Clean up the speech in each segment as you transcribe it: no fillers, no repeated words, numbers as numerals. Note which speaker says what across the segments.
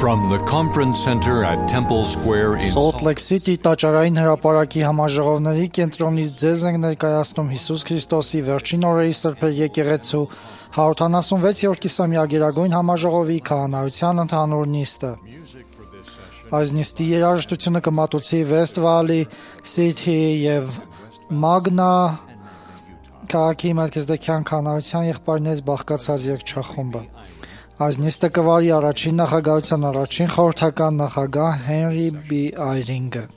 Speaker 1: From the conference center at Temple Square in
Speaker 2: Salt Lake City տաճարային հրապարակի համաժողովների կենտրոնից ձեզ ենք ներկայացնում Հիսուս Քրիստոսի վերջին օրերի սրբեր եկեղեցու 176-րդ կիսամյակերագույն համաժողովի քահանայության ընդհանուր նիստը։ Այս նիստի երաժշտությունը կմատուցի West Valley City եւ Magna քաղաքի Մելքիզեդեկյան քահանայության եղբայրներից բաղկացած երգչախումբը։ Այս նիստը կվարի առաջին նախագահության առաջին խորհրդական նախագահ Հենրի B. Այրինգը։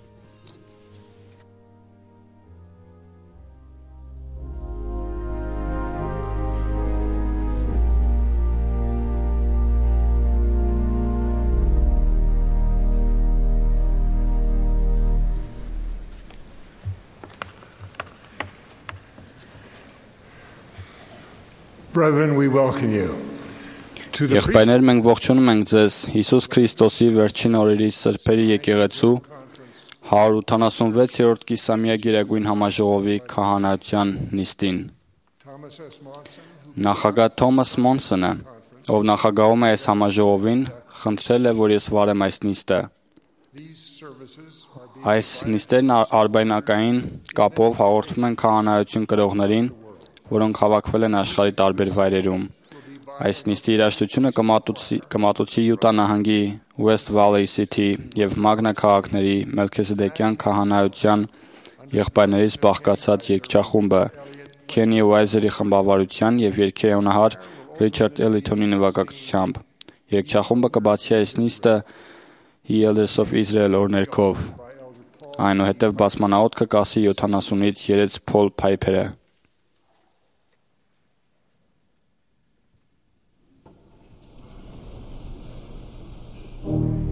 Speaker 3: Brethren, we welcome you.
Speaker 4: Եղբայրներ, մենք ողջունում ենք ձեզ Հիսուս Քրիստոսի վերջին օրերի սրբերի եկեղեցու 186-րդ կիսամյակերագույն համաժողովի քահանայության նիստին։ Նախագահ Թոմաս Մոնսոնը, ով նախագահում է այս համաժողովին, խնդրել է, որ ես վարեմ այս նիստը։ Այս նիստերն արբայնակային կապով հաղորդվում են քահանայություն կրողներին, որոնք հավաքվել են աշխարհի տարբեր վայրերում։ Այս նիստի երաժշտությունը կմատուցի Յուտա նահանգի West Valley City եւ Magna քաղաքների Մելքիզեդեկյան քահանայության եղբայրներից բաղկացած երգչախումբը Քենի Ուայզերի խմբավարության եւ երգեհոնահար Ռիչարդ Էլիթոնի նվագակցությամբ։ Երգչախումբը կբացի այս նիստը He Elders of Israel օրներքով։ Այնուհետև բացմանաոթքը կասի 70-ից երեց Փոլ Փայփերը։
Speaker 5: Now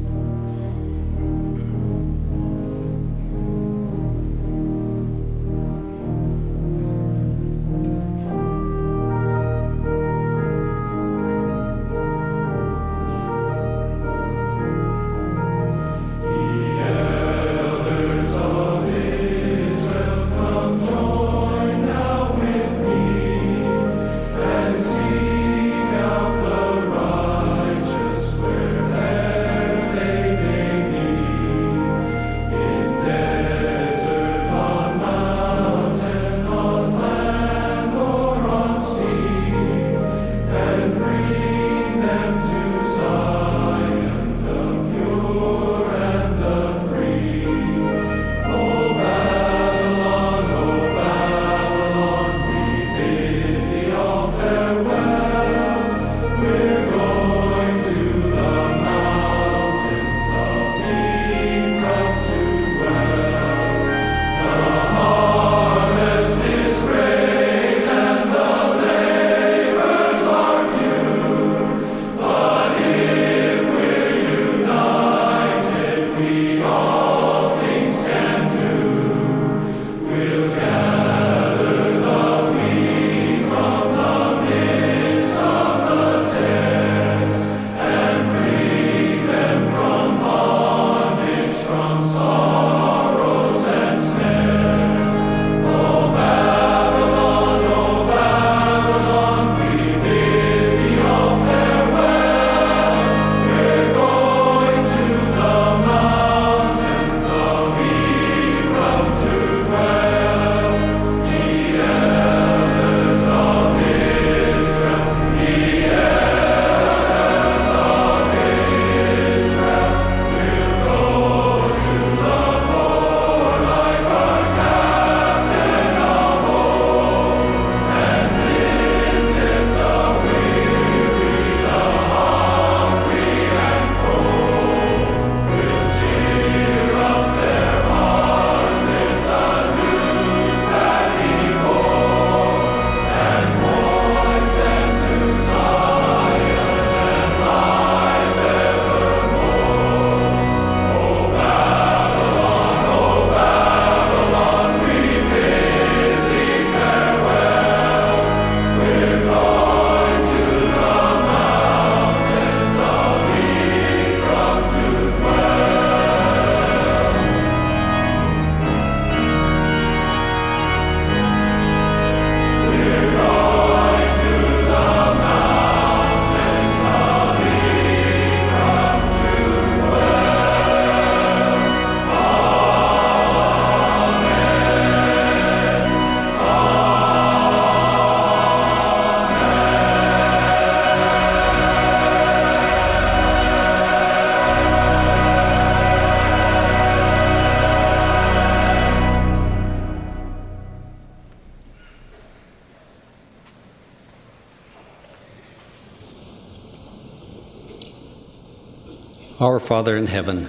Speaker 3: Our Father in heaven,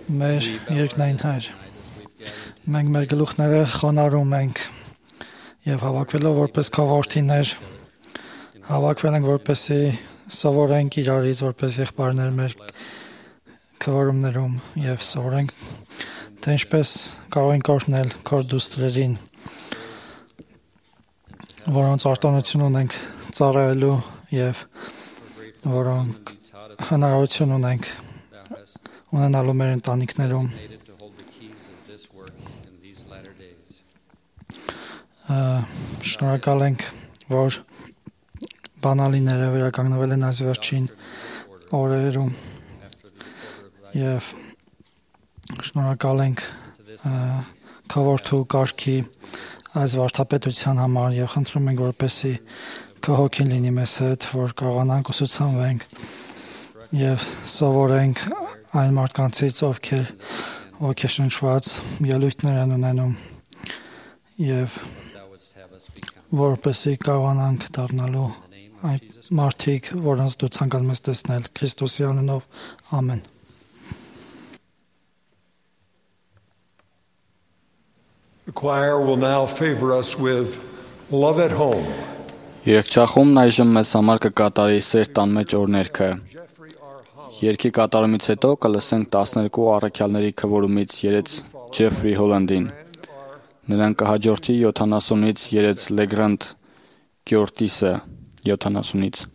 Speaker 2: Մեր երկնային Հայր, մենք մեր գլուխները խոնարհում ենք եւ հավաքվելով որպես քավորթիներ հավաքվել ենք որպեսզի սովորենք իրարից որպես եղբայրներ մեր քվորումներում եւ սովորենք թե ինչպես կարող ենք օրհնել քոր դուստրերին, որոնց արտոնություն ունենք ծառայելու եւ որոնք հնարավորություն ունենք ունենալու մեր ընտանիքներում շնորհակալ ենք, որ բանալիները վերականգնվել են այս վերջին օրերում եւ շնորհակալ ենք քավորթու կարգի այս վարդապետության համար եւ խնդրում ենք, որպեսզի քո հոգին լինի մեզ հետ, որ կարողանանք ուսուցանվենք եւ սովորենք այն մարդկանցից, ովքեր ոգեշնչված ելույթներ են ունենում եւ որպեսզի կարողանանք դառնալու այն մարդիկ, որոնց դու ցանկանում ես տեսնել Քրիստոսի անունով, ամեն։
Speaker 5: The choir will now favor us with Love at Home.
Speaker 4: Երգչախումբն այժմ մեզ համար կկատարի Սեր տան մեջ օրհներգը։ Երգի կատարումից հետո կլսենք 12 առաքյալների քվորումից երեց Ջեֆրի Հոլանդին։ Նրան կհաջորդի 70-ից երեց Լեգրանդ Կյորտիսը 70-ից։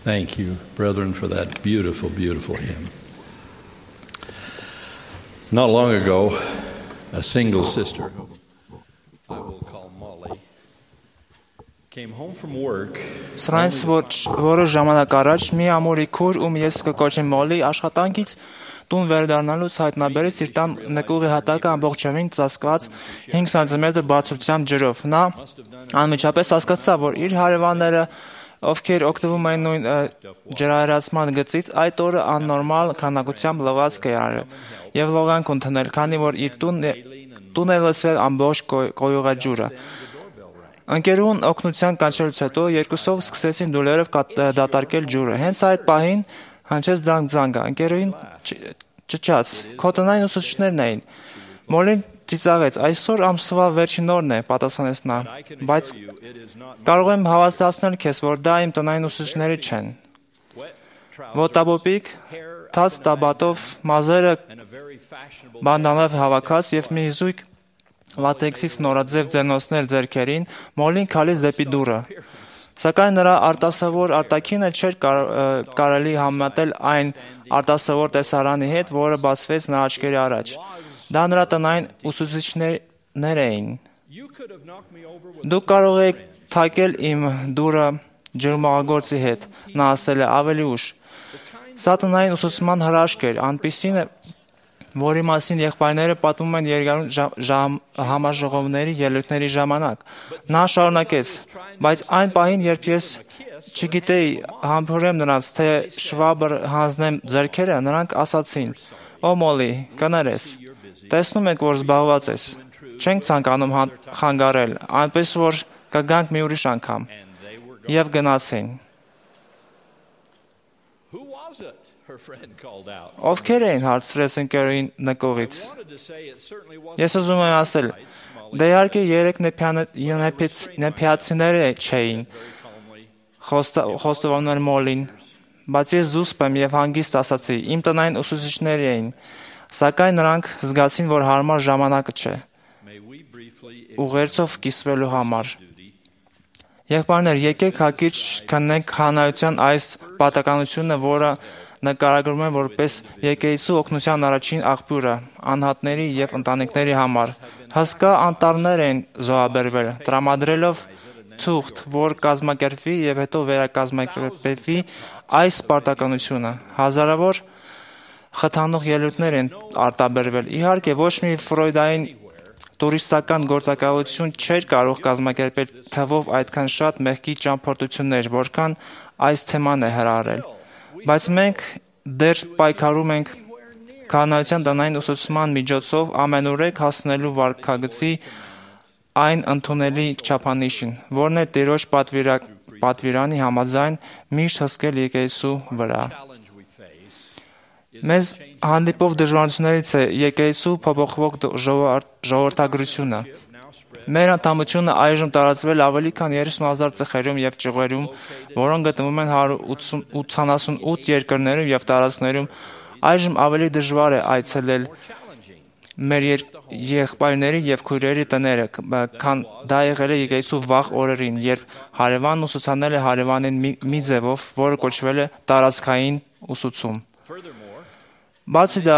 Speaker 3: Thank you, brethren, for that beautiful, beautiful hymn. Not long ago, a single sister, who I will call Molly, came home from work.
Speaker 6: Սրանց որը ժամանակ առաջ մի ամուրի քուր ում ես կկոչեմ Մոլի աշխատանքից տուն վերադառնալուց հայտնաբերեց իր տան նկուղի հատակը ամբողջովին ծածկված 5 սանտիմետր բարձրությամբ ջրով։ Նա անմիջապես հասկացավ, որ իր հարևանները, ովքեր օգտվում էին նույն ջրահեռացման գծից, այդ օրը աննորմալ քանակությամբ լողացք է արել եւ լողանք ընդունել, քանի որ իր տուն է լցվել ամբողջ կոյուղաջուրը։ Ընկերուն օգնության կանչելուց հետո երկուսով սկսեցին դուլերով դատարկել ջուրը։ Հենց այդ պահին հնչեց դրանք զանգը։ Ընկերուին ճչաց. «Քո տնային ուսուցիչներն էին»։ Մոլին ծիծաղեց. «Այսօր ամսվա վերջին օրն է», պատասխանեց նա, «բայց կարող եմ հավաստիացնել քեզ, որ դա իմ տնային ուսուցիչները չեն»։ Ոտաբոբիկ, թաց տաբատով, մազերը բանդանով հավաքած եւ մի զույգ լատեքսից նորաձև ձեռնոցներ ձեռքերին, Մոլին քալեց դեպի դուռը։ Սակայն նրա արտասովոր արտաքինը չէր կարելի համեմատել այն արտասովոր տեսարանի հետ, որը բացվեց նրա աչքերի առաջ։ Դա նրա տնային ուսուցիչներ էին։ Դուք կարող եք թակել իմ դուռը ջրմաղագործի հետ, նա ասել է ավելի ուշ։ Սա տնային ուսուցման հրաշք էր, այնպիսին է, որի մասին եղբայրները պատմում են երկարուն համաժողովների ելույթների ժամանակ։ Նա շարունակեց. «Բայց այն պահին, երբ ես չգիտեի համբուրեմ նրանց, թե շվաբր հանձնեմ ձեռքերը, նրանք ասացին. «Օ Մոլի, կներես, տեսնում ենք, որ զբաղված ես, չենք ցանկանում խանգարել, այնպես որ կգանք մի ուրիշ անգամ»։ Եվ գնացին։ Ովքեր էին, հարցրեց ընկերուին նկողից։ Ես ուզում եմ ասել, դե իհարկե երեք նեփիացիները չէին, խոստովանել Մոլին, բայց ես զուսպ եմ եւ հանգիստ ասացի, իմ տնային ուսուցիչներ էին, սակայն նրանք զգացին, որ հարմար ժամանակը չէ ուղերձով կիսվելու համար։ Եղբայրներ, եկեք հակիրճ քննենք հանրայության այս պատականությունը, որը նկարագրում են որպես եկեղեցու օգնության առաջին աղբյուրը անհատների եւ ընտանիքների համար։ Հսկա անտառներ են զոհաբերվել, տրամադրելով թուղթ, որ կազմակերպվի եւ հետո վերակազմակերպվի այս պարտականությունը։ Հազարավոր խթանող ելույթներ են արտաբերվել։ Իհարկե, ոչ մի ֆրոյդային տուրիստական գործակալություն չէր կարող կազմակերպել թվով այդքան շատ մեղքի ճամփորդություններ, որքան այս թեման է հրահրել։ Բայց մենք դեռ պայքարում ենք քահանայության տնային ուսուցման միջոցով ամենուրեք հասնելու վարքագծի այն ընդունելի չափանիշին, որն է Տիրոջ պատվիրանի համաձայն միշտ հսկել եկեղեցու վրա։ Մեզ հանդիպող դժվարություններից է եկեղեցու փոփոխվող ժողովրդագրությունը։ Մեր անդամությունը այժմ տարածվել ավելի քան 30,000 ծխերում եւ ճյուղերում, որոնք գտնվում են 188 երկրներում եւ տարածքներում։ Այժմ ավելի դժվար է այցելել մեր եղբայրների եւ քույրերի տները, քան դա եղել է եկեղեցու վաղ օրերին, երբ հարևանն ուսուցանել է հարևանին մի ձևով, որը կոչվել է տարածքային ուսուցում։ Բացի դա,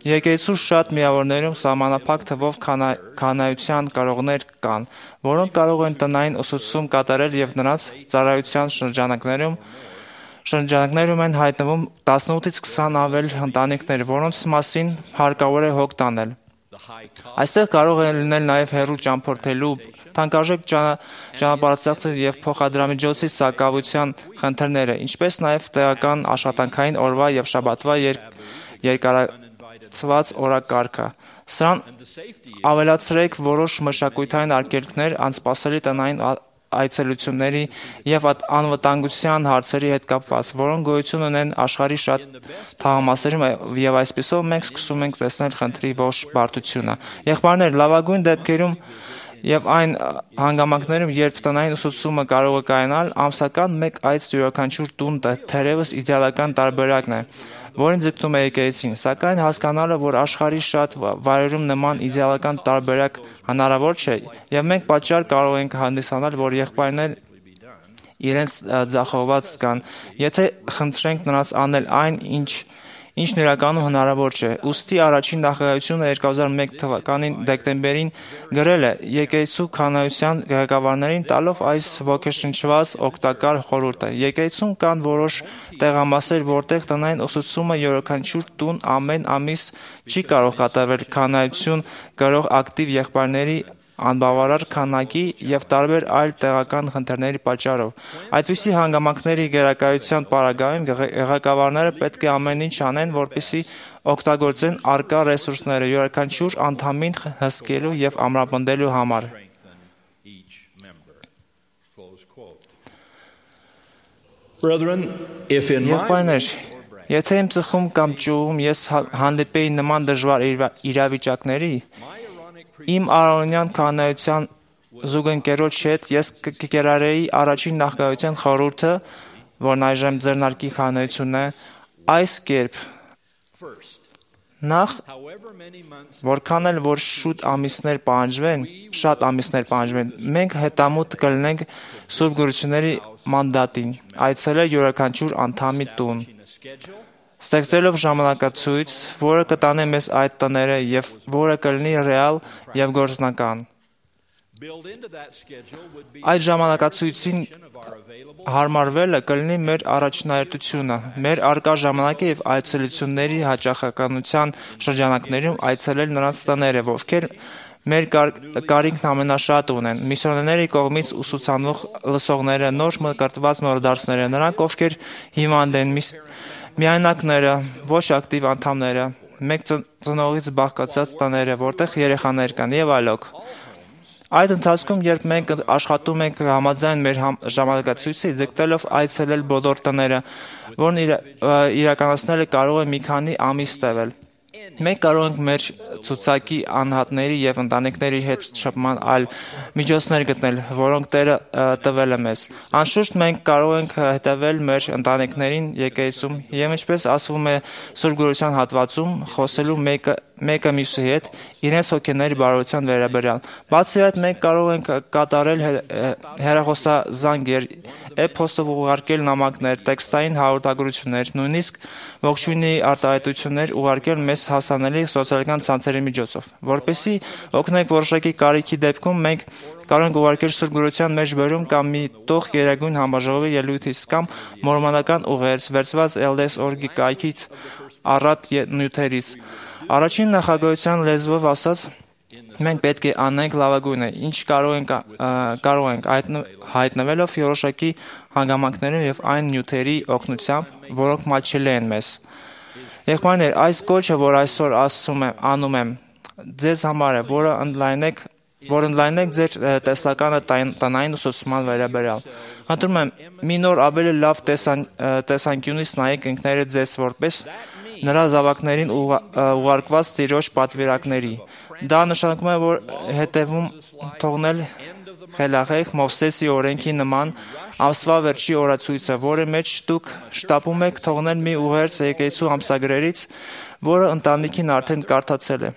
Speaker 6: եկեղեցու շատ միավորներում սահմանափակ թվով քահանայության կարողներ կան, որոնք կարող են տնային ուսուցում կատարել եւ նրանց ծառայության շրջանակներում են հայտնվում 18-ից 20 ավել ընտանիքներ, որոնց մասին հարկավոր է հոգ տանել։ Այստեղ կարող է լինել նաև հեռու ճամփորդելու, թանկարժեք ճանապարհածախսի եւ փոխադրամիջոցի սակավության խնդիրները, ինչպես նաև տեղական աշխատանքային օրվա եւ շաբաթվա երկարացված օրակարգը։ Սրան ավելացրեք որոշ մշակութային արգելքներ, անսպասելի տնային այցելությունների եւ անվտանգության հարցերի հետ կապված, որոնք գոյություն ունեն աշխարհի շատ թաղամասերում եւ այսպիսով մենք սկսում ենք տեսնել խնդրի ողջ բարդությունը։ Եղբայրներ, լավագույն դեպքերում եւ այն հանգամանքներում, երբ տնային ուսուցումը կարող է կայանալ, ամսական մեկ այց յուրաքանչյուր տուն թերևս իդեալական տարբերակն է, որին ձգտում է եկեղեցին, սակայն հասկանալը, որ աշխարհի շատ վայրերում նման իդեալական տարբերակ հնարավոր չէ, եւ մենք պատճառ կարող ենք հանդիսանալ, որ իրենց ձախողված զգան, եթե խնդրենք նրանց անել այն, ինչն իրականում հնարավոր չէ։ Ուստի առաջին նախագահությունը 2001 թվականին դեկտեմբերին գրել է եկեղեցու քահանայության ղեկավարներին տալով այս ոգեշնչված օգտակար խորհուրդը։ Եկեղեցում կան որոշ տեղամասեր, որտեղ տնային ուսուցումը յուրաքանչյուր տուն ամեն ամիս չի կարող կատարվել քահանայություն կրող ակտիվ եղբայրների անբավարար քանակի եւ տարբեր այլ տեղական խնդիրների պատճառով։ Այդպիսի հանգամանքների գերակայության պարագայում ղեկավարները պետք է ամեն ինչ անեն, որպեսզի օգտագործեն առկա ռեսուրսները յուրաքանչյուր անդամին հսկելու եւ ամրապնդելու համար։ Եղբայրներ, եթե իմ ծխում կամ ճյուղում ես հանդիպեի նման դժվար իրավիճակների, իմ առօրյա քահանայության զուգընկերոջ հետ ես կկիրառեի առաջին նախագահության խորհուրդը, որն այժմ ձեռնարկի քահանայությունն է, այս կերպ. Նախ, որքան էլ որ շատ ամիսներ պահանջվեն, մենք հետամուտ կլինենք Սուրբ Գորությունների մանդատին, այցելել յուրաքանչյուր անդամի տուն, ստեղծելով ժամանակացույց, որը կտանե մեզ այդ տները եւ որը կլինի ռեալ եւ գործնական։ Այդ ժամանակացույցին հարմարվելը կլինի մեր առաջնահերթությունը, մեր առկա ժամանակը եւ այցելությունների հաճախականության շրջանակներում այցելել նրանց տները, ովքեր մեր կարիքն ամենաշատ ունեն, միսիոներների կողմից ուսուցանող լսողները, նոր մկրտված նորդարձները, նրանք, ովքեր հիվանդ են, միայնակները, ոչ ակտիվ անդամները, մեկ ծնողից բաղկացած տները, որտեղ երեխաներ կան եւ այլոք։ Այդ ընթացքում, երբ մենք աշխատում ենք համաձայն մեր ժամանակացույցի, ձգտելով այցելել բոլոր տները, որն իրականացնելը կարող է մի քանի ամիս տևել, մենք կարող ենք մեր ցուցակի անհատների եւ ընտանիքների հետ շփման այլ միջոցներ գտնել, որոնք Տերը տվել է մեզ։ Անշուշտ մենք կարող ենք հետևել մեր ընտանիքներին եկեղեցում եւ ինչպես ասվում է Սուրբ Գորության հատվածում, խոսելու մեկը մյուսի հետ իրենց հոգեների բարության վերաբերյալ։ Բացի այդ, մենք կարող ենք կատարել հեռախոսազանգեր, էփոստով ուղարկել նամակներ, տեքստային հաղորդագրություններ, նույնիսկ ողջույնի արտահայտություններ ուղարկել մեզ հասանելի սոցիալական ցանցերի միջոցով։ Որպեսզի օգնենք որոշակի կարիքի դեպքում, մենք կարող ենք ուղարկել Սուրբ Գորության մեջբերում կամ մի տող Գերագույն Համաժողովի ելույթից կամ մորմոնական ուղերձ, վերցված LDS.org-ի կայքից առատ նյութերից։ Առաջին նախագահության լեզվով ասած, մենք պետք է անենք լավագույնը, ինչ կարող ենք հայտնվելով որոշակի հանգամանքներում եւ այն նյութերի օգնությամբ, որոնք մատչելի են մեզ։ Եղբայրներ, այս կոչը, որ այսօր անում եմ, ձեզ համար է, որ ընդլայնեք ձեր տեսլականը տնային ուսուցման վերաբերյալ։ Խնդրում եմ, մի նոր ավելի լավ տեսանկյունից նայեք ինքներդ ձեզ որպես նրա զավակներին ուղարկված Տիրոջ պատվիրակների։ Դա նշանակում է, որ հետևում թողնել խելահեղ Մովսեսի օրենքի նման ամսվա վերջի օրացույցը, որի մեջ դուք շտապում եք թողնել մի ուղերձ եկեղեցու ամսագրերից, որը ընտանիքին արդեն կարդացել է։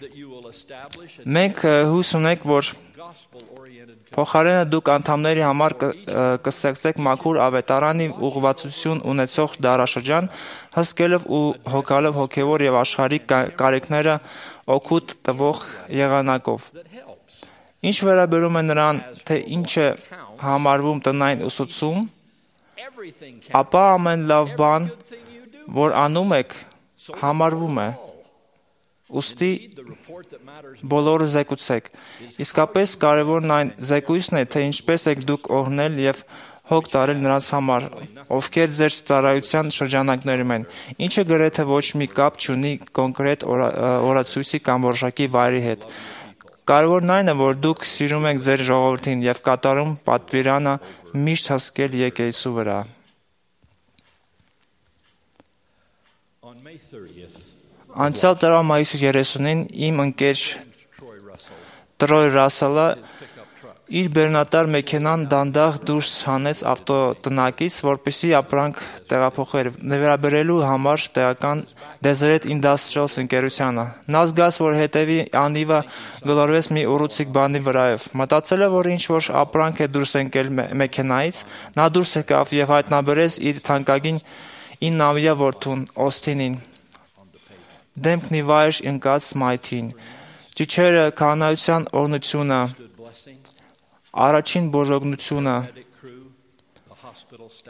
Speaker 6: Մենք հույս ունենք, որ փոխարենը դուք անդամների համար կստեղծեք մաքուր ավետարանի ուղղվածություն ունեցող դարաշրջան, հսկելով ու հոգալով հոգևոր եւ աշխարհիկ կարիքները օգուտ տվող եղանակով։ Ինչ վերաբերում է նրան, թե ինչ է համարվում տնային ուսուցում, ապա ամեն լավ բան, որ անում եք, համարվում է։ Ուստի բոլորը զեկուցեք։ Իսկապես կարևորն այն զեկույցն է, թե ինչպես եք դուք օրհնել եւ հոգ տարել նրանց համար, ովքեր ձեր ծառայության շրջանակներում են, ինչը գրեթե ոչ մի կապ չունի կոնկրետ օրացույցի կամ որոշակի վայրի հետ։ Կարևորն այն է, որ դուք սիրում եք ձեր ժողովրդին եւ կատարում պատվիրանը միշտ հսկել եկեղեցու վրա։ Անցյալ տարվա մայիսի 30-ին իմ ընկեր Տրոյ Ռասելը Իր բեռնատար մեքենան դանդաղ դուրս հանեց ավտոտնակից, որպեսզի ապրանք տեղափոխեր վերաբերելու համար տեղական Deseret Industrials ընկերությանը։ Նա զգաց, որ հետևի անիվը գլորվեց մի ուռուցիկ բանի վրայով։ Մտածելով, որ ինչ-որ ապրանք է դուրս ընկել մեքենայից, նա դուրս եկավ և հայտնաբերեց իր թանկագին 9-ամյա որդուն Օսթինին, դեմքն ի վայր ընկած մայթին, ճիչերը, քահանայության օրհնությունը, առաջին բոժօգնությունը,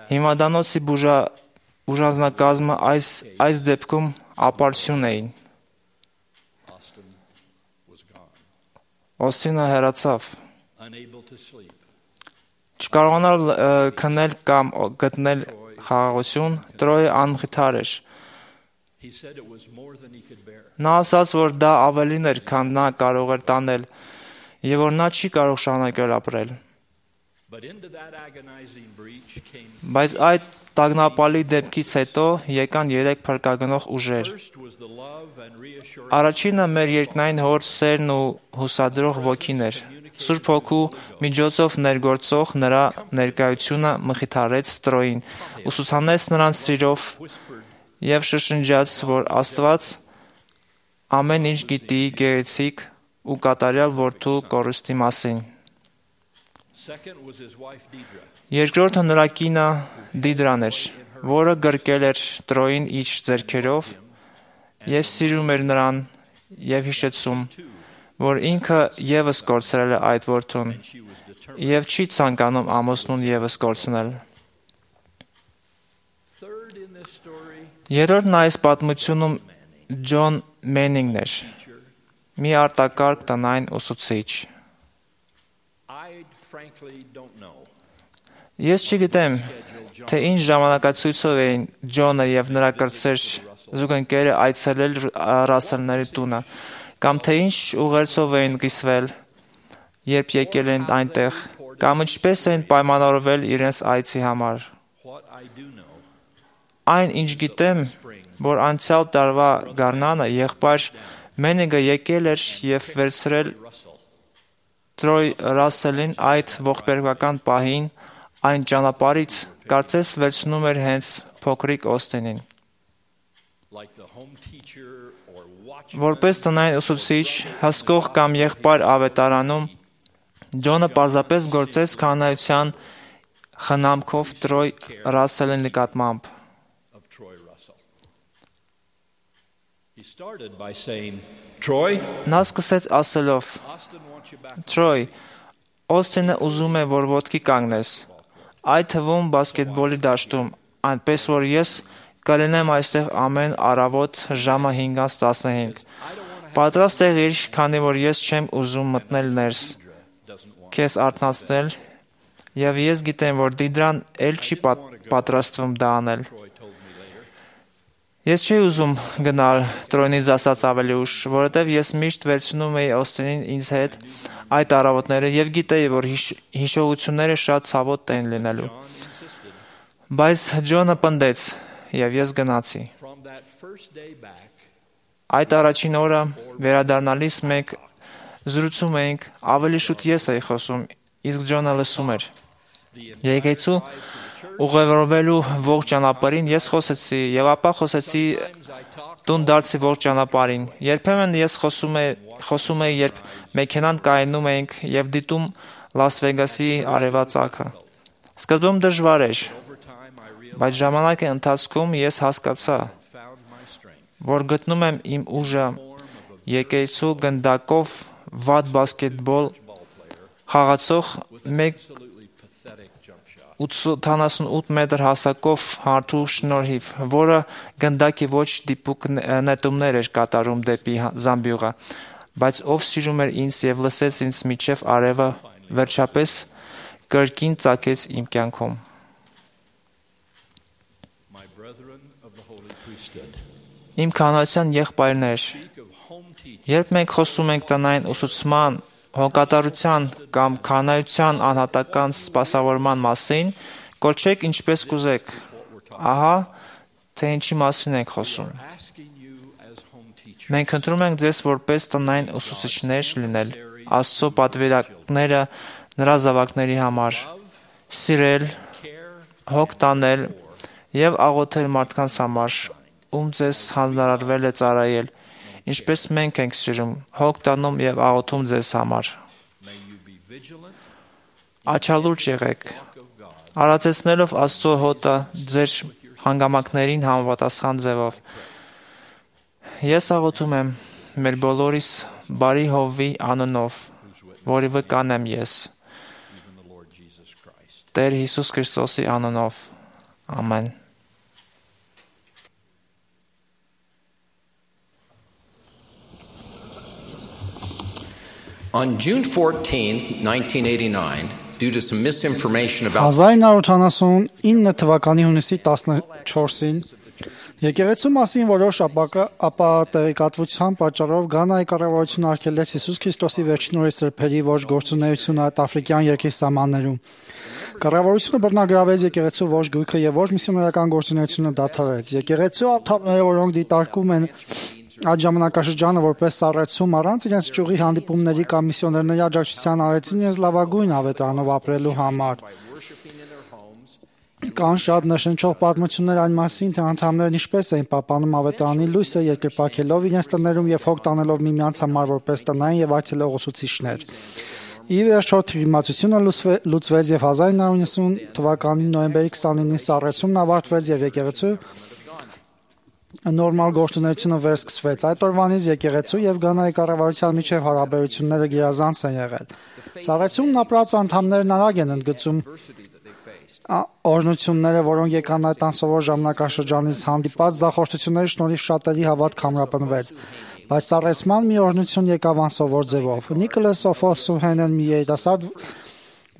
Speaker 6: հիմնադանոցի բուժանձնակազմը այս դեպքում ապարդյուն էին։ Օսթինը հեռացավ։ Չկարողանալ քնել կամ գտնել խաղաղություն, Տրոյը անմխիթար էր։ Նա ասաց, որ դա ավելին էր, քան նա կարող էր տանել, և որ նա չի կարող շարունակել ապրել։ Բայց այդ տագնապալի դեպքից հետո եկան 3 փրկագնող ուժեր։ Առաջինը մեր երկնային Հոր սերն ու հուսադրող ոգին էր։ Սուրբ Հոգու միջոցով ներգործող նրա ներկայությունը մխիթարեց Տրոյին, ուսուցանեց նրան սիրով և շշնջաց, որ Աստված ամեն ինչ գիտի գեղեցիկ ու կատարյալ որդու կորուստի մասին։ Երկրորդը նրա կինը Դիդրան էր, որը գրկել էր Տրոյին իր ձեռքերով և սիրում էր նրան և հիշեցում, որ ինքը ևս կորցրել է այդ որդուն և չի ցանկանում ամուսնուն ևս կորցնել։ Երրորդն այս պատմությունում Ջոն Մենինգն էր, մի արտակարգ տնային ուսուցիչ։ Ես չգիտեմ, թե ինչ ժամանակացույցով էին Ջոնը և նրա կրտսեր զուգընկերը այցելել Ռասելների տունը, կամ թե ինչ ուղերձով էին կիսվել, երբ եկել են այնտեղ, կամ ինչպես էին պայմանավորվել իրենց այցի համար։ Այն, ինչ գիտեմ, որ անցյալ տարվա գարնանը եղբայր Մենինգը եկել էր և վերցրել Տրոյ Ռասելին այդ ողբերգական պահին այն ճանապարհից, կարծես վերցնում էր հենց փոքրիկ Օսթինին։ Որպես տնային ուսուցիչ, հսկող կամ եղբայր ավետարանում, Ջոնը պարզապես գործեց քահանայության խնամքով Տրոյ Ռասելի նկատմամբ։ Նա սկսեց ասելով. Տրոյ, Օսթինը ուզում է, որ ոտքի կանգնես, այդ թվում բասկետբոլի դաշտում, այնպես որ ես կլինեմ այստեղ ամեն առավոտ ժամը 5:15։ Պատրաստ եղիր, քանի որ ես չեմ ուզում մտնել ներս, քեզ արթնացնել, և ես գիտեմ, որ Դիդրան էլ չի պատրաստվում դա անել։ Ես չէի ուզում գնալ Տրոյից ասած ավելի ուշ, որովհետև ես միշտ վերցնում էի Օսթինին ինձ հետ այդ առավոտները և գիտեի, որ հիշողությունները շատ ցավոտ էին լինելու։ Բայց Ջոնը պնդեց, և ես գնացի։ Այդ առաջին օրը վերադառնալիս մենք զրուցում էինք, ավելի շուտ ես էի խոսում, իսկ Ջոնը լսում էր։ Եկեղեցու ուղևորվելու ողջ ճանապարհին ես խոսեցի և ապա խոսեցի տուն դարձի ողջ ճանապարհին։ Երբեմն ես խոսում էի, երբ մեքենան կայանում էինք և դիտում Լաս Վեգասի արևածագը։ Սկզբում դժվար էր, բայց ժամանակի ընթացքում ես հասկացա, որ գտնում եմ իմ ուժը եկեղեցու գնդակով վատ բասկետբոլ խաղացող 1.88 մետր հասակով հարթու շնորհիվ, որը գնդակի ոչ դիպուկ նետումներ էր կատարում դեպի զամբյուղը, բայց ով սիրում էր ինձ և լսեց ինձ մինչև արևը, վերջապես կրկին ծագեց իմ կյանքում։ Իմ քահանայության եղբայրներ, երբ մենք խոսում ենք տնային ուսուցման, հոգատարության կամ քահանայության անհատական սպասավորման մասին, կոչեք ինչպես կուզեք, ահա թե ինչի մասին ենք խոսում։ Մենք ընտրում ենք ձեզ որպես տնային ուսուցիչներ լինել, Աստծո պատվիրակները նրա զավակների համար, սիրել, հոգ տանել եւ աղոթել մարդկանց համար, ում ձեզ հանձնարարվել է ծառայել, ինչպես մենք ենք սիրում, հոգ տանում եւ աղոթում ձեզ համար։ Աչալուրջ եղեք, արածեցնելով Աստծո հոտը ձեր հանգամանքներին համապատասխան ձևով։ Ես աղոթում եմ մեր բոլորիս բարի Հովի անունով, որի վկան եմ ես, Տեր Հիսուս Քրիստոսի անունով, ամեն։
Speaker 7: On June 14, 1989, due to some misinformation about
Speaker 2: 1979 թվականի հունիսի 14-ին եկեղեցու մասին որոշ ապատեղեկատվության պատճառով Գանայի կառավարությունը արգելեց Հիսուս Քրիստոսի վերջին օրերի սրբերի ոչ գործունեությունը այդ աֆրիկյան երկրի սահմաններում։ Կառավարությունը բռնագրավեց եկեղեցու ոչ գույքը եւ ոչ միսիոներական գործունեությունը դադարեց։ Եկեղեցու անդամները, որոնք դիտարկում են այդ ժամանակաշրջանը որպես սառեցում առանց իրենց ճյուղի հանդիպումների կամ միսիոներների աջակցության արեցին իրենց լավագույն ավետարանով ապրելու համար։ Կան շատ նշնչող պատմություններ այն մասին, թե անդամներն ինչպես էին պահպանում ավետարանի լույսը երկրպագելով իրենց տներում եւ հոգ տանելով միմյանց համար որպես տնային եւ այցելողացուցիչներ։ Ի վերջո թյուրիմացությունը լուծվեց եւ 1990 թվականի նոյեմբերի 29-ին սառեցումն ավարտվեց եւ եկեղեցու նորմալ գործունեությունը վերսկսվեց։ Այդ օրվանից եկեղեցու եւ Գանայի կառավարության միջև հարաբերությունները գերազանց են եղել։ Սառեցումն ապրած անդամներն արագ են ընդգծում օրհնությունները, որոնք եկան այդ անսովոր ժամանակաշրջանից, հանդիպած զախորտությունների շնորհիվ շատերի հավատք ամրապնվեց։ Բայց սառեցման մի օրհնություն եկավ անսովոր ձևով։ Նիկոլաս Օֆոսուհենն մի երիտասարդ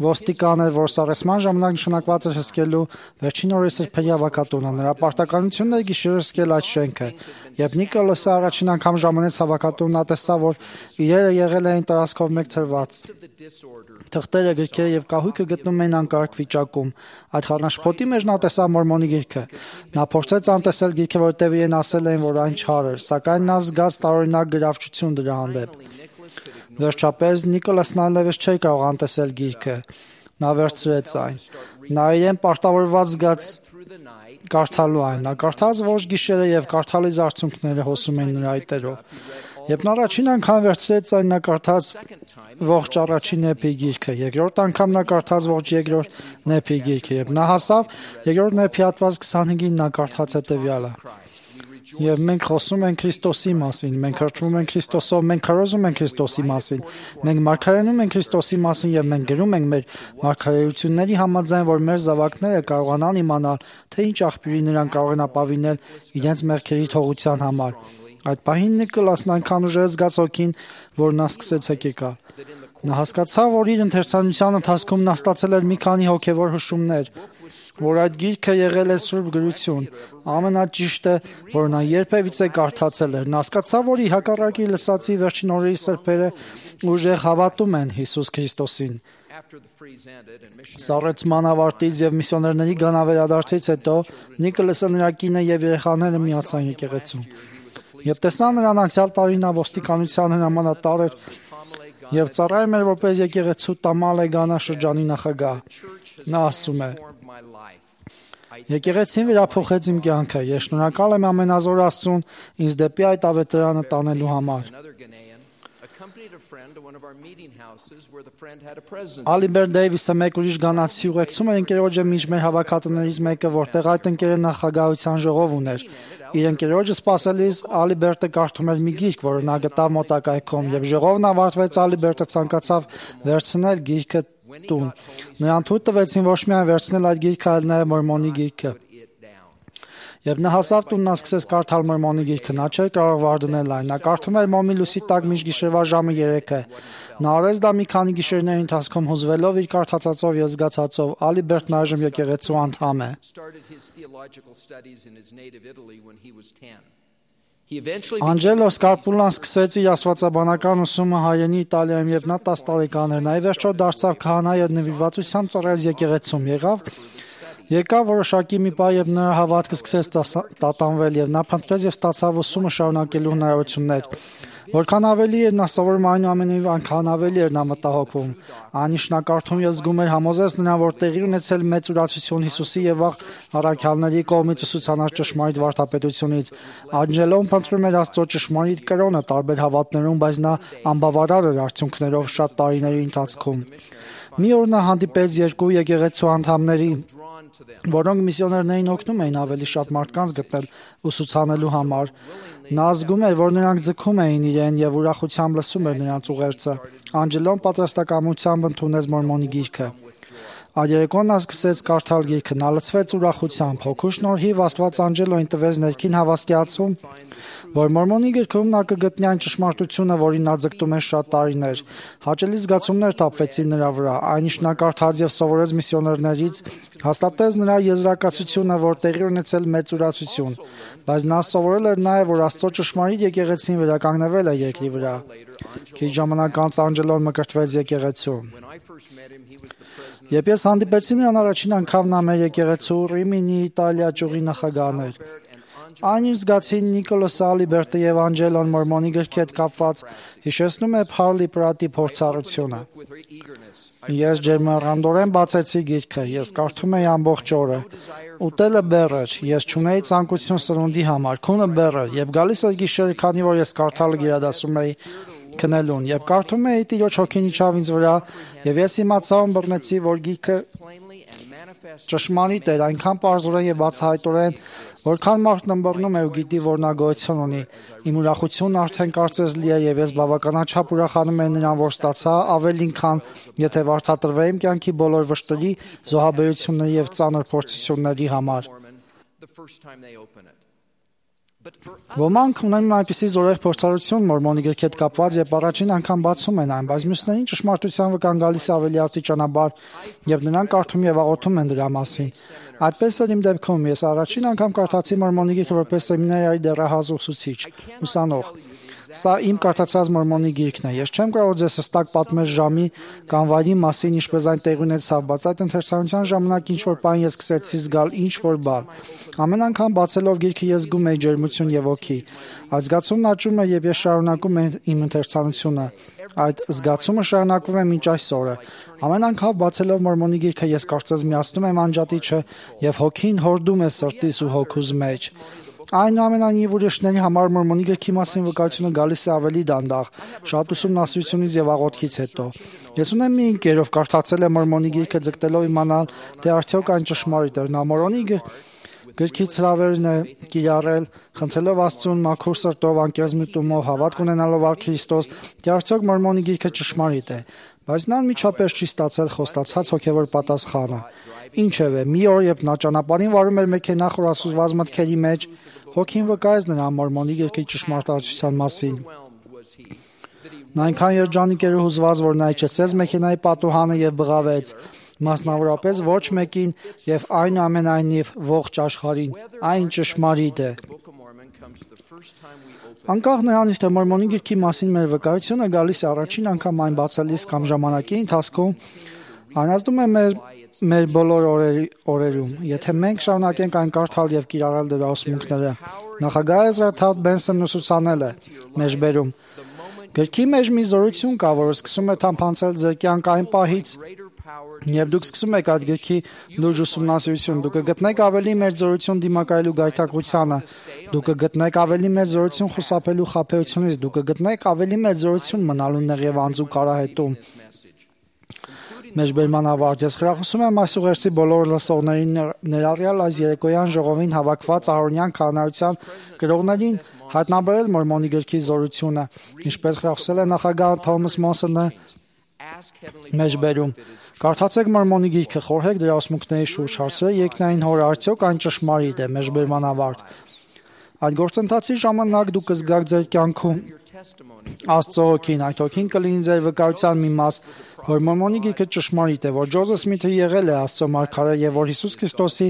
Speaker 2: ոստիկան էր, որ սառեցման ժամանակ նշանակված էր հսկելու վերջին օրերի սրբերի հավաքատունը։ Նրա պարտականությունն էր գիշերը հսկել այդ շենքը։ Երբ Նիկոլասը առաջին անգամ ժամանեց հավաքատունը, նա տեսավ, որ իրերը եղել էին տարածքով մեկ ցրված։ Թղթերը, գրքերը եւ կահույքը գտնում էին անկարգ վիճակում։ Այդ խառնաշփոթի մեջ նա տեսավ Մորմոնի գիրքը։ Նա փորձեց անտեսել գիրքը, որտեղ իրեն ասել էին, որ այն չար էր, սակայն նա զգաց տարօրինակ գրավչություն դրա հանդեպ։ Վերջապես Նիկոլասն այլևս չէր կարող անտեսել գիրքը։ Նա վերցրեց այն։ Նա իրեն պարտավորված զգաց կարդալու այն։ Նա կարդաց ոչ գիշերը եւ կարդալիս արդյունքները հոսում էին նրա այտերով։ Երբ նա առաջին անգամ վերցրեց այն, նա կարդաց ողջ առաջին էփի գիրքը, երկրորդ անգամ նա կարդաց ողջ երկրորդ էփի գիրքը, եւ նա հասավ երկրորդ էփի հատված 25-ին նա կարդաց հետեւյալը. Եվ մենք խոսում ենք Քրիստոսի մասին, մենք հրճվում ենք Քրիստոսով, մենք քարոզում ենք Քրիստոսի մասին, մենք մարգարենում ենք Քրիստոսի մասին եւ մենք գրում ենք մեր մարգարեությունների համաձայն, որ մեր զավակները կարողանան իմանալ, թե ինչ աղբյուրի նրան կարող են ապավինել իրենց մեղքերի թողության համար։ Այդ պահին Նիկոլասն այնքան ուժեղ զգաց հոգին, որ նա սկսեց հեկեկալ։ Նա հասկացավ, որ իր ընթերցանության ընթացքում նա ստացել էր մի քանի հոգևոր հուշումներ, որ այդ գիրքը եղել է սուրբ գրություն։ Ամենաճիշտը, որ նա երբևիցե կարդացել էր։ Նա հասկացավ, որ ի հակառակի լսածի վերջին օրերի սրբերը ուժեղ հավատում են Հիսուս Քրիստոսին։ Սառեցման ավարտից եւ միսիոներների գանավերադարձից հետո Նիկոլասը, նրա կինը եւ երեխաները միացան եկեղեցուն։ Երբ տեսան նրան անցյալ տարի նա ոստիկանության հրամանատար էր եւ ծառայում էր որպես եկեղեցու Տամալե Գանա շրջանի նախագահ։ Նա ասում է. Եկեղեցին վերափոխեց իմ կյանքը։ Ես շնորհակալ եմ ամենազոր Աստծուն ինձ դեպի այդ ավետարանը տանելու համար։ Ալիբեր Դեյվիսը մեկ ուրիշ գանացի ուղեկցում էր ընկերոջը մինչ մեր հավաքատներից մեկը, որտեղ այդ ընկերը նախագահության ժողով ուներ։ Իր ընկերոջը սպասելիս Ալիբերտը կարդում էր մի գիրք, որը նա գտավ մոտակայքում, եւ ժողովն ավարտվեց, Ալիբերտը ցանկացավ վերցնել գիրքը տուն։ Նրան թույլ տվեցին ոչ միայն վերցնել այդ գիրքը, այլ նաեւ Մորմոնի գիրքը։ Երբ նա հասավ տուն, նա սկսեց կարդալ Մորմոնի գիրքը, նա չէր կարող վարդնել այն։ Նա կարդում էր մոմի լույսի տակ մինչ գիշերվա ժամը 3-ը։ Նա արեց դա մի քանի գիշերների ընթացքում հուզվելով իր կարդացածով եւ զգացածով։ Ալիբերտն այժմ եկեղեցու անդամ է։ Անջելո Սկարպուլան սկսեց իր աստվածաբանական ուսումը հայրենի Իտալիայում, երբ նա 10 տարեկան էր։ Նա ի վերջո դարձավ քահանա եւ նվիրվածությամբ ծառայեց եկեղեցում։ Եղավ Եկավ որոշակի մի պահ, երբ նրա հավատքը սկսեց տատանվել, եւ նա փնտրեց եւ ստացավ ուսումը շարունակելու հնարավորություններ։ Որքան ավելի էր նա սովորում, այնուամենայնիվ այնքան ավելի էր նա մտահոգվում։ Այն ինչ նա կարդում եւ զգում էր, համոզեց նրան, որ տեղի ունեցել մեծ ուրացություն Հիսուսի եւ վաղ առաքյալների կողմից ուսուցանած ճշմարիտ վարդապետությունից։ Անջելոն փնտրում էր Աստծո ճշմարիտ կրոնը տարբեր հավատներում, բայց նա անբավարար էր արդյունքներով շատ տարիների ընթացքում։ Մի օր նա հանդիպեց երկու եկեղեցու անդամների, որոնք միսիոներներին օգնում էին ավելի շատ մարդկանց գտնել ուսուցանելու համար։ Նա զգում էր, որ նրանք ձգում էին իրեն եւ ուրախությամբ լսում էր նրանց ուղերձը։ Անջելոն պատրաստակամությամբ ընդունեց մորմոնի գիրքը։ Այդ երեկոն նա սկսեց կարդալ գիրքը, նա լցվեց ուրախությամբ, հոգու շնորհիվ Աստված Անջելոին տվեց ներքին հավաստիացում, որ մորմոնի գրքում նա կգտնի այն ճշմարտությունը, որին նա ձգտում էր շատ տարիներ։ Հաճելի զգացումներ թափվեցին նրա վրա, այն ինչ նա կարդաց եւ սովորեց միսիոներներից, հաստատեց նրա եզրակացությունը, որ տեղի ունեցել մեծ ուրացություն, բայց նա սովորել էր նաեւ, որ Աստծո ճշմարիտ եկեղեցին վերականգնվել է երկրի վրա։ Քիչ ժամանակ անց Անջելոն մկրտվեց եկեղեցու։ Երբ ես հանդիպեցի նրան առաջին անգամ, նա մեր եկեղեցու Ռիմինի Իտալիա ճյուղի նախագահն էր։ Այն ինչ զգացի Նիկոլոս Ալիբերտը եւ Անջելոն մորմոնի գրքի հետ կապված հիշեցնում է Փարլի Պրատի փորձառությունը։ Ես ջերմեռանդորեն բացեցի գիրքը, ես կարդում էի ամբողջ օրը։ Ուտելը բեռ էր, ես չունեի ցանկություն սնունդի համար, քունը բեռ էր, եւ գալիս էր գիշերը, քանի որ ես կարդալը գերադասում էի քնելուն, եւ կարդում էի Տիրոջ հոգին իջավ ինձ վրա, եւ ես իմացա ու բռնեցի, որ գիրքը ճշմարիտ էր, այնքան պարզորեն եւ բացահայտորեն, որքան մարդն ըմբռնում է ու գիտի, որ նա գոյություն ունի։ Իմ ուրախությունն արդեն կարծես լի է եւ ես բավականաչափ ուրախանում եմ նրան, որ ստացա ավելին, քան եթե վարձատրվեի իմ կյանքի բոլոր վշտերի, զոհաբերությունների եւ ծանր փորձությունների համար։ Ոմանք ունեն այնպիսի զորեղ փորձառություն մորմոնի գրքի հետ կապված եւ առաջին անգամ բացում են այն, բայց մյուսներին ճշմարտության վկան գալիս ավելի աստիճանաբար եւ նրանք կարդում եւ աղոթում են դրա մասին։ Այդպես էր իմ դեպքում, ես առաջին անգամ կարդացի մորմոնի գիրքը որպես սեմինարիայի դեռահաս ուսուցիչ, ուսանող։ Սա իմ կարդացած մորմոնի գիրքն է։ Ես չեմ կարող ձեզ հստակ պատմել ժամի կամ վայրի մասին, ինչպես այն տեղի ունեցավ, բայց այդ ընթերցանության ժամանակ ինչ-որ բան ես սկսեցի զգալ ինչ-որ բան։ Ամեն անգամ բացելով գիրքը ես զգում էի ջերմություն եւ ոգի։ Այդ զգացումն աճում է, երբ ես շարունակում եմ իմ ընթերցանությունը։ Այդ զգացումը շարունակվում է մինչ այսօրը։ Ամեն անգամ բացելով մորմոնի գիրքը ես կարծես միացնում եմ անջատիչը եւ հոգին հորդում է սրտիս ու հոգուս մեջ։ Այնուամենայնիվ ուրիշների համար մորմոնի գրքի մասին վկայությունը գալիս է ավելի դանդաղ, շատ ուսումնասիրությունից եւ աղոթքից հետո։ Ես ունեմ մի ընկեր, ով կարդացել է մորմոնի գիրքը ձգտելով իմանալ, թե արդյոք այն ճշմարիտ է։ Նա մորմոնի գրքից հրավերն է կիրառել, խնդրելով Աստծուն մաքուր սրտով, անկեղծ միտումով, հավատք ունենալով առ Քրիստոս, թե արդյոք մորմոնի գիրքը ճշմարիտ է։ Բայց նա անմիջապես չի ստացել խոստացած հոգևոր պատասխանը։ Ինչևէ, մի օր, երբ նա ճանապարհին վարում էր մեքենա խորասուզված մտքերի մեջ, հոգին վկայեց նրան մորմոնի գրքի ճշմարտացության մասին։ Նա այնքան երջանիկ էր ու հուզված, որ նա իջեցրեց մեքենայի պատուհանը եւ բղավեց, մասնավորապես ոչ մեկին եւ այնուամենայնիվ ողջ աշխարհին։ Այն ճշմարիտ է։ Անկախ նրանից, թե մորմոնի գրքի մասին մեր վկայությունը գալիս է առաջին անգամ այն բացելիս կամ ժամանակի ընթացքում, անազդում է մեր բոլոր օրերում, եթե մենք շարունակենք այն կարդալ եւ կիրառել դրա ուսմունքները։ Նախագահ Էզրա Թաուտ Բենսոնն ուսուցանել է մեջբերում. Գրքի մեջ մի զորություն կա, որը սկսում է թափանցել ձեր կյանք այն պահից, երբ դուք սկսում եք այդ գրքի լուրջ ուսումնասիրություն, դուք կգտնեք ավելի մեծ զորություն դիմակայելու գայթակղությանը, դուք կգտնեք ավելի մեծ զորություն խուսափելու խաբեությունից, դուք կգտնեք ավելի մեծ զորություն մնալու նեղ եւ անձու կարահետում։ Մեջբերման ավարտ։ Ես խրախուսում եմ այս ուղերձի բոլոր լսողներին, ներառյալ այս երեկոյան ժողովին հավաքված Ահարոնյան քահանայության գրողներին հայտնաբերել մորմոնի գրքի զորությունը, ինչպես խրախուսել է նախագահ Թոմաս Մոնսոնը մեջբերում։ Կարդացեք մորմոնի գիրքը, խորհեք դրա ուսմունքների շուրջ, հարցրեք երկնային հորը, արդյոք այն ճշմարիտ է։ Մեջբերման ավարտ։ Այդ գործընթացի ժամանակ դուք կզգաք ձեր կյանքում Աստծո հոգին, այդ հոգին կլինի ձեր վկայության մի մաս, որ մորմոնի գիրքը ճշմարիտ է, որ Ջոզեֆ Սմիթը եղել է Աստծո մարգարե եւ որ Հիսուս Քրիստոսի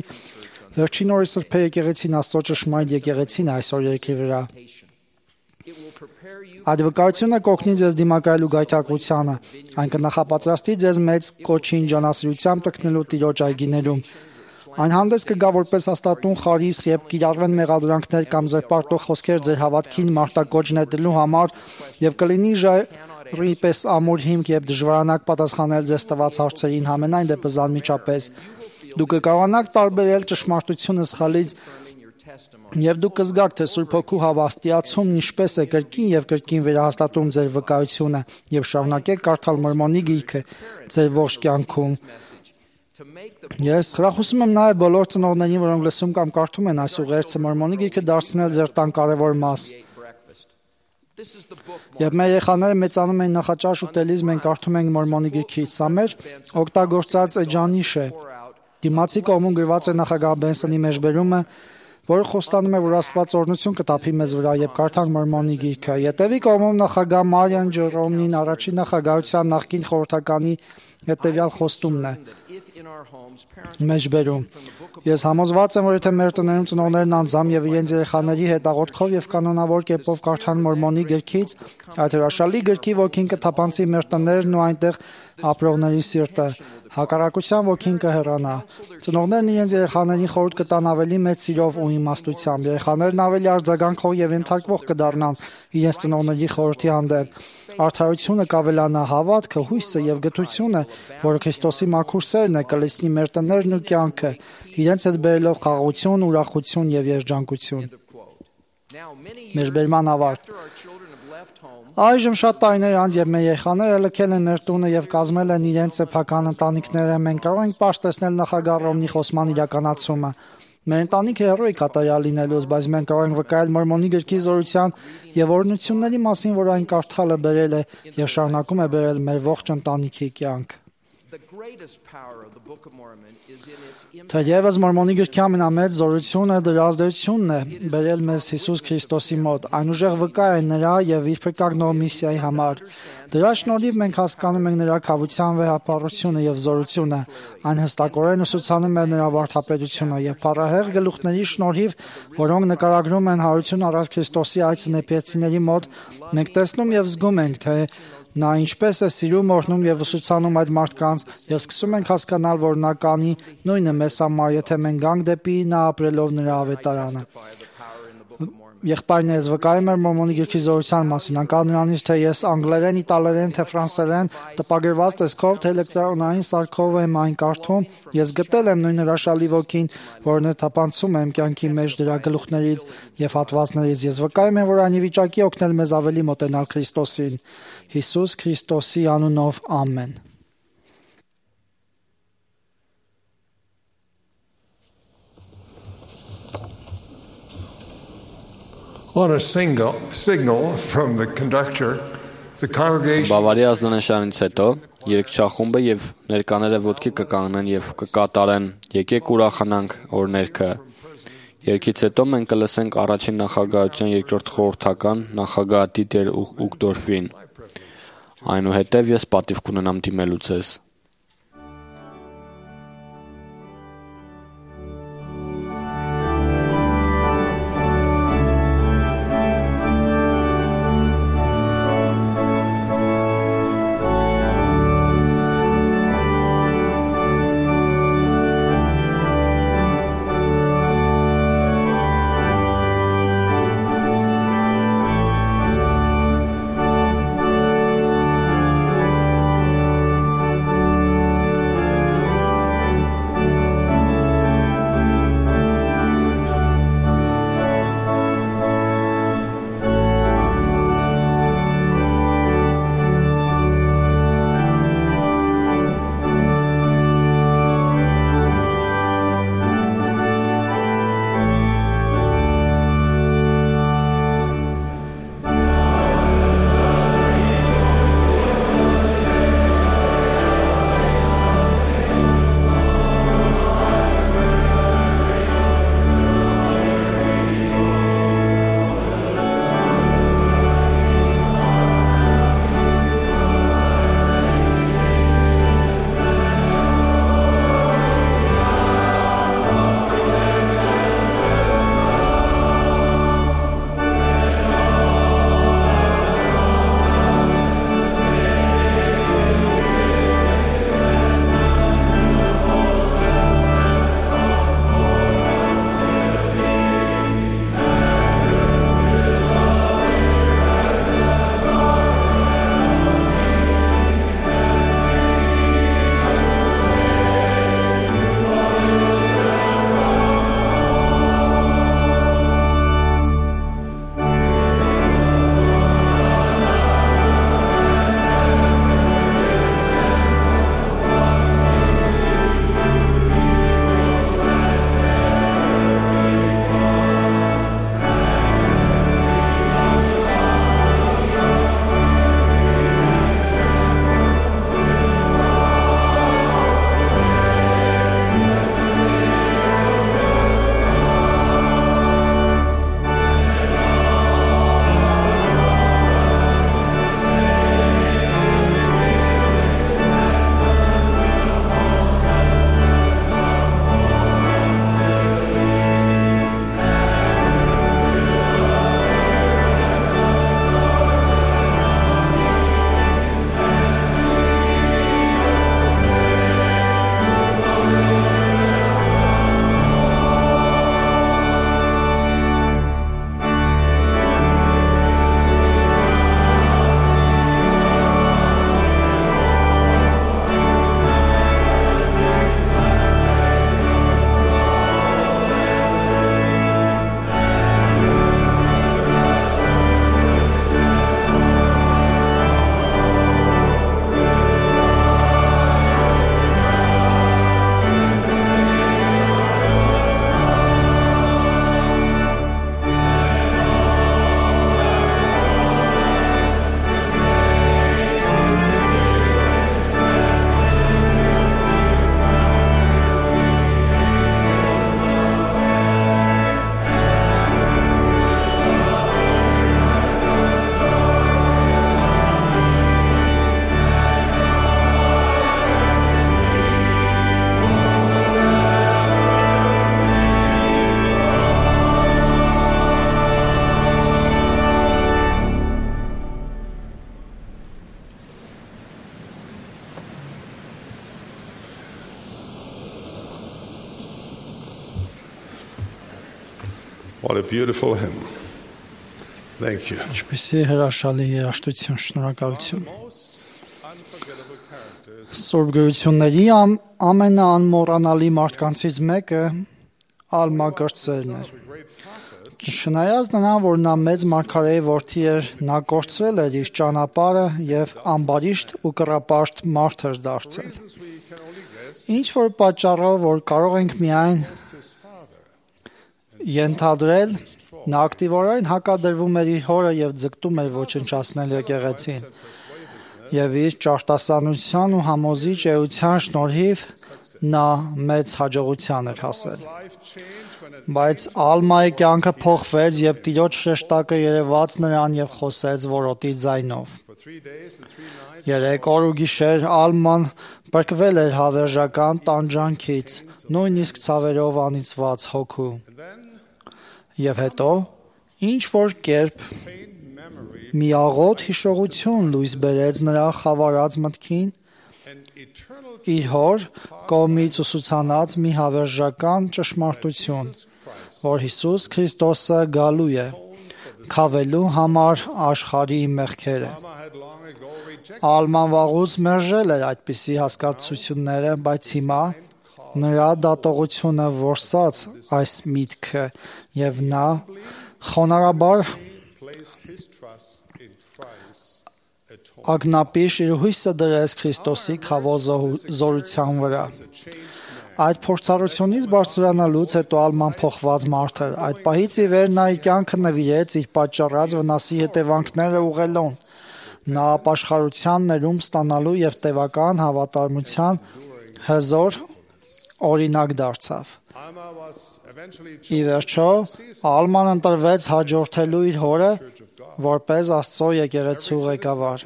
Speaker 2: վերջին օրի սրբե եկեղեցին Աստծո ճշմարիտ եկեղեցին է այսօր երկրի վրա։ Այդ վկայությունը կօգնի ձեզ դիմակայելու գայթակղությանը, այն կնախապատրաստի ձեզ մեծ կոչին ջանասիրությամբ տկնելու Տիրոջ այգիներում։ Այն հանդես կգա որպես հաստատուն խարիսխ, երբ կիրառվեն մեղադրանքներ կամ զրպարտող խոսքեր ձեր հավատքին մարտակոչ նետելու համար եւ կլինի ժայռի պես ամուր հիմք, երբ դժվարանաք պատասխանել ձեզ տված հարցերին, համենայն դեպս անմիջապես դուք կկարողանաք տարբերել ճշմարտությունը սխալից եւ դուք կզգաք, թե Սուրբ Հոգու հավաստիացումն ինչպես է կրկին եւ կրկին վերահաստատում ձեր վկայությունը եւ շարունակեք կարդալ Մորմոնի գիրքը ձեր ողջ կյանքում։ Ես խրախուսում եմ նաեւ բոլոր ծնողներին, որոնք լսում կամ կարդում են այս ուղերձը, Մորմոնի գիրքը դարձնել ձեր տան կարևոր մաս։ Երբ մեր երեխաները մեծանում են նախաճաշ ուտելիս, մենք կարդում ենք Մորմոնի գիրքից։ Սա մեր օգտագործած էջանիշ է։ Դիմացի կողմում գրված է նախագահ Բենսոնի մեջբերումը, որը խոստանում է, որ Աստված օրհնություն կտափի մեզ վրա, երբ կարդանք Մորմոնի գիրքը։ Ետևի կողմում նախագահ Մարիան Ջերոմին առաջին նախագահության նախկին խորհրդականի հետևյալ խոստումն է մեջբերում. Ես համոզված եմ, որ եթե մեր տներում ծնողներն անձամբ եւ իրենց երեխաների հետ աղոթքով եւ կանոնավոր կերպով կարդան Մորմոնի գրքից, այդ հրաշալի գրքի ոգին կթափանցի մեր տներն ու այնտեղ ապրողների սիրտը, հակառակության ոգին կհեռանա։ Ծնողներն իրենց երեխաներին խորհուրդ կտան ավելի մեծ սիրով ու իմաստությամբ, երեխաներն ավելի արձագանքող եւ ենթարկվող կդառնան իրենց ծնողների խորհրդի հանդեպ։ Արդարությունը կավելանա, հավատքը, հույսը եւ գթությունը, որը Քրիստոսի մաքուր սերն է, կլցնի մեր տներն ու կյանքը, իրենց հետ բերելով խաղաղություն, ուրախություն եւ երջանկություն։ Մեջբերման ավարտ։ Այժմ շատ տարիներ անց, երբ մեր երեխաները լքել են մեր տունը եւ կազմել են իրենց սեփական ընտանիքները, մենք կարող ենք պարզ տեսնել նախագահ Ռոմնի խոսման իրականացումը։ Մեր ընտանիքը հեռու է կատարյալ լինելուց, բայց մենք կարող ենք վկայել Մորմոնի գրքի զորության եւ օրհնությունների մասին, որ այն կարդալը բերել է եւ շարունակում է բերել մեր ողջ ընտանիքի կյանք։ Թեևս Մորմոնի գրքի ամենամեծ զորությունը դրա ազդեցությունն է բերել մեզ Հիսուս Քրիստոսի մոտ։ Այն ուժեղ վկա է նրա եւ իր փրկագնող միսիայի համար։ Դրա շնորհիվ մենք հասկանում ենք նրա քավության վեհապարությունը եւ զորությունը։ Այն հստակորեն ուսուցանում է նրա վարդապետությունը եւ փառահեղ գլուխների շնորհիվ, որոնք նկարագրում են հարություն առած Քրիստոսի այցը նեփեցիների մոտ, մենք տեսնում եւ զգում ենք, թե նա ինչպես է սիրում, օրհնում եւ ուսուցանում այդ մարդկանց եւ սկսում ենք հասկանալ, որ նա կանի նույնը մեզ համար, եթե մենք գանք դեպի նա ապրելով նրա ավետարանը։ Եղբայրներս, վկայում եմ Մորմոնի գրքի զորության մասին, անկախ նրանից, թե ես անգլերեն, իտալերեն, թե ֆրանսերեն տպագրված տեսքով, թե էլեկտրոնային սարքով եմ այն կարդում, ես գտել եմ նույն հրաշալի ոգին, որն է թափանցում եմ կյանքի մեջ դրա գլուխներից եւ հատվածներից։ Ես վկայում եմ, որ այն ի վիճակի օգնել մեզ ավելի մոտենալ Քրիստոսին։ Հիսուս Քրիստոսի անունով, ամեն։
Speaker 5: On a signal from the conductor, the congregation
Speaker 4: Բավարի ազդանշանից հետո երգչախումբը եւ ներկաները ոտքի կկանգնեն եւ կկատարեն «Եկեք ուրախանանք» օրհներգը։ Երգից հետո մենք կլսենք առաջին նախագահության երկրորդ խորհրդական նախագահ Դիտեր Ուգդորֆին։ Այնուհետև ես պատիվ կունենամ դիմելու ձեզ։
Speaker 5: What a beautiful hymn. Thank you.
Speaker 2: Ինչպեսի հրաշալի երաժշտություն, շնորհակալություն։ Սուրբ գրությունների ամենաանմոռանալի մարդկանցից մեկը Ալմա կրտսերն էր։ Չնայած նրան, որ նա մեծ մարգարեի որդի էր, նա կորցրել էր իր ճանապարհը եւ ամբարիշտ ու կռապաշտ մարդ էր դարձել։ Ինչ որ պատճառով, որ կարող ենք միայն ենթադրել, նա ակտիվորեն հակադրվում էր իր հորը եւ ձգտում էր ոչնչացնել եկեղեցին։ Եվ իր ճարտասանության ու համոզիչ էության շնորհիվ նա մեծ հաջողության էր հասել։ Բայց Ալմայի կյանքը փոխվեց, երբ Տիրոջ հրեշտակը երևաց նրան եւ խոսեց որոտի ձայնով։ 3 օր ու գիշեր Ալման բրկվել էր հավերժական տանջանքից, նույնիսկ ցավերով անիծված հոգու։ Եվ հետո, ինչ որ կերպ մի աղոտ հիշողություն լույս բերեց նրա խավարած մտքին, իր հոր կողմից ուսուցանած մի հավերժական ճշմարտություն, որ Հիսուս Քրիստոսը գալու է, քավելու համար աշխարհի մեղքերը։ Ալման վաղուց մերժել էր այդպիսի հասկացությունները, բայց հիմա նրա դատողությունը որսաց այս միտքը եւ նա խոնարհաբար ագնապիշ իր հույսը դրեց Քրիստոսի քավոզորության վրա։ Այդ փորձառությունից բարձրանալուց հետո Ալման փոխված մարդ էր։ Այդ պահից ի վեր նա իր կյանքը նվիրեց իր պատճառած վնասի հետևանքները ուղղելուն։ Նա ապաշխարության ներում ստանալու եւ տևական հավատարմության հզոր օրինակ դարձավ։ Ի վերջո Ալման ընտրվեց հաջորդելու իր հորը որպես Աստծո եկեղեցու ղեկավար։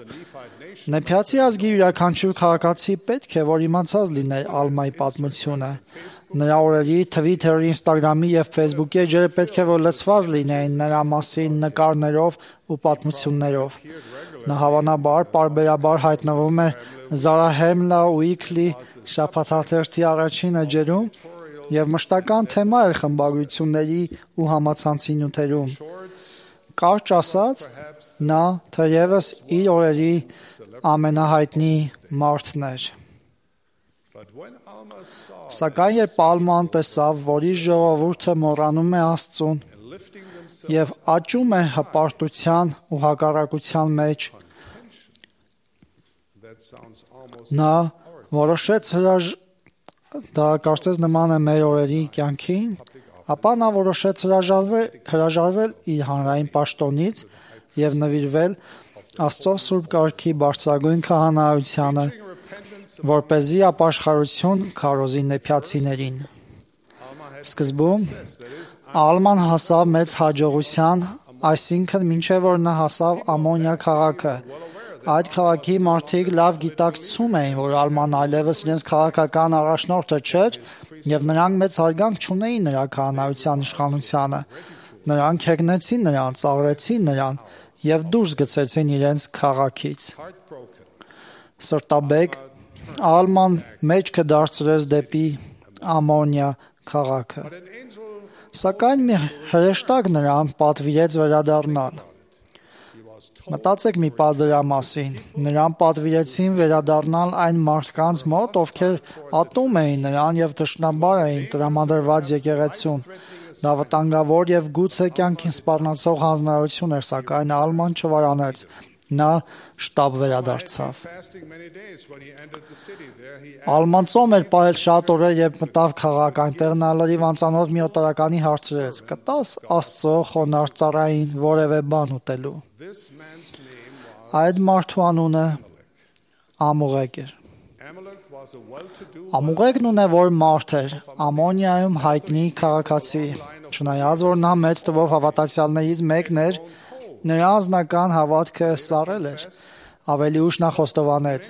Speaker 2: Նեփյացի ազգի յուրաքանչյուր քաղաքացի պետք է որ իմացած լիներ Ալմայի պատմությունը։ Նրա օրերի Twitter-ի, Instagram-ի եւ Facebook-ի էջերը պետք է որ լցված լինեին նրա մասին նկարներով ու պատմություններով։ Նա հավանաբար պարբերաբար հայտնվում է Zarahemla Weekly շաբաթաթերթի առաջին էջերում եւ մշտական թեմա էր խմբագրությունների ու համացանցի նյութերում։ Կարճ ասած, նա թերևս իր օրերի ամենահայտնի մարդն էր։ Սակայն երբ Ալման տեսավ, որ իր ժողովուրդը մոռանում է Աստծուն եւ աճում է հպարտության ու հակառակության մեջ, նա որոշեց դա կարծես նման է մեր օրերի կյանքին, ապա նա որոշեց հրաժարվել իր հանրային պաշտոնից եւ նվիրվել Աստծո Սուրբ Կարգի բարձրագույն քահանայությանը, որպեսզի ապաշխարություն քարոզի նեփյացիներին։ Սկզբում Ալման հասավ մեծ հաջողության, այսինքն մինչև որ նա հասավ Ամոնիա քաղաքը։ Այդ քաղաքի մարդիկ լավ գիտակցում էին, որ Ալման այլևս իրենց քաղաքական առաջնորդը չէր եւ նրանք մեծ հարգանք չունեին նրա քահանայության իշխանությանը։ Նրանք հեգնեցին նրան, ծաղրեցին նրան եւ դուրս գցեցին իրենց քաղաքից։ Սրտաբեկ Ալման մեջքը դարձրեց դեպի Ամոնիա քաղաքը։ Սակայն մի հրեշտակ նրան պատվիրեց վերադառնալ։ Մտածեք մի պահ դրա մասին։ Նրան պատվիրեցին վերադառնալ այն մարդկանց մոտ, ովքեր ատում էին նրան եւ թշնամբար էին տրամադրված եկեղեցուն։ Դա վտանգավոր եւ գուցե կյանքին սպառնացող հանձնարարություն էր, սակայն Ալման չվարանեց։ Նա շտապ վերադարձավ։ Ալման ծոմ էր պահել շատ օրեր, երբ մտավ քաղաք, այնտեղ նա լրիվ անծանոթ մի օտարականի հարցրեց. «Կտաս Աստծո խոնարհ ծառային որևէ բան ուտելու»։ Այդ մարդու անունը Ամուղեկ էր։ Ամուղեկն ունևոր մարդ էր, Ամոնիայում հայտնի քաղաքացի։ Չնայած որ նա մեծ թվով հավատացյալներից մեկն էր, նրա անձնական հավատքը սառել էր, ավելի ուշ նա խոստովանեց.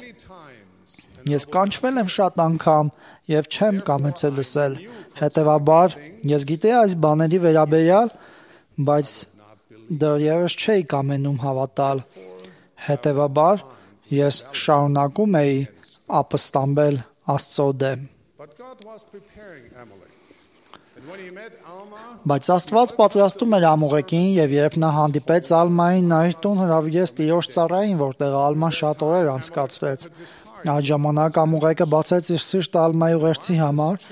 Speaker 2: «Ես կանչվել եմ շատ անգամ եւ չեմ կամեցել լսել, հետեւաբար ես գիտեի այս բաների վերաբերյալ, բայց դեռևս չէի կամենում հավատալ, հետեւաբար ես շարունակում էի ապստամբել Աստծո դեմ»։ Բայց Աստված պատրաստում էր Ամուղեկին, եւ երբ նա հանդիպեց Ալմային, նա իր տուն հրավիրեց տիրոջ ծառային, որտեղ Ալման շատ օրեր անցկացրեց։ Այդ ժամանակ Ամուղեկը բացեց իր սիրտը Ալմայի ուղերձի համար,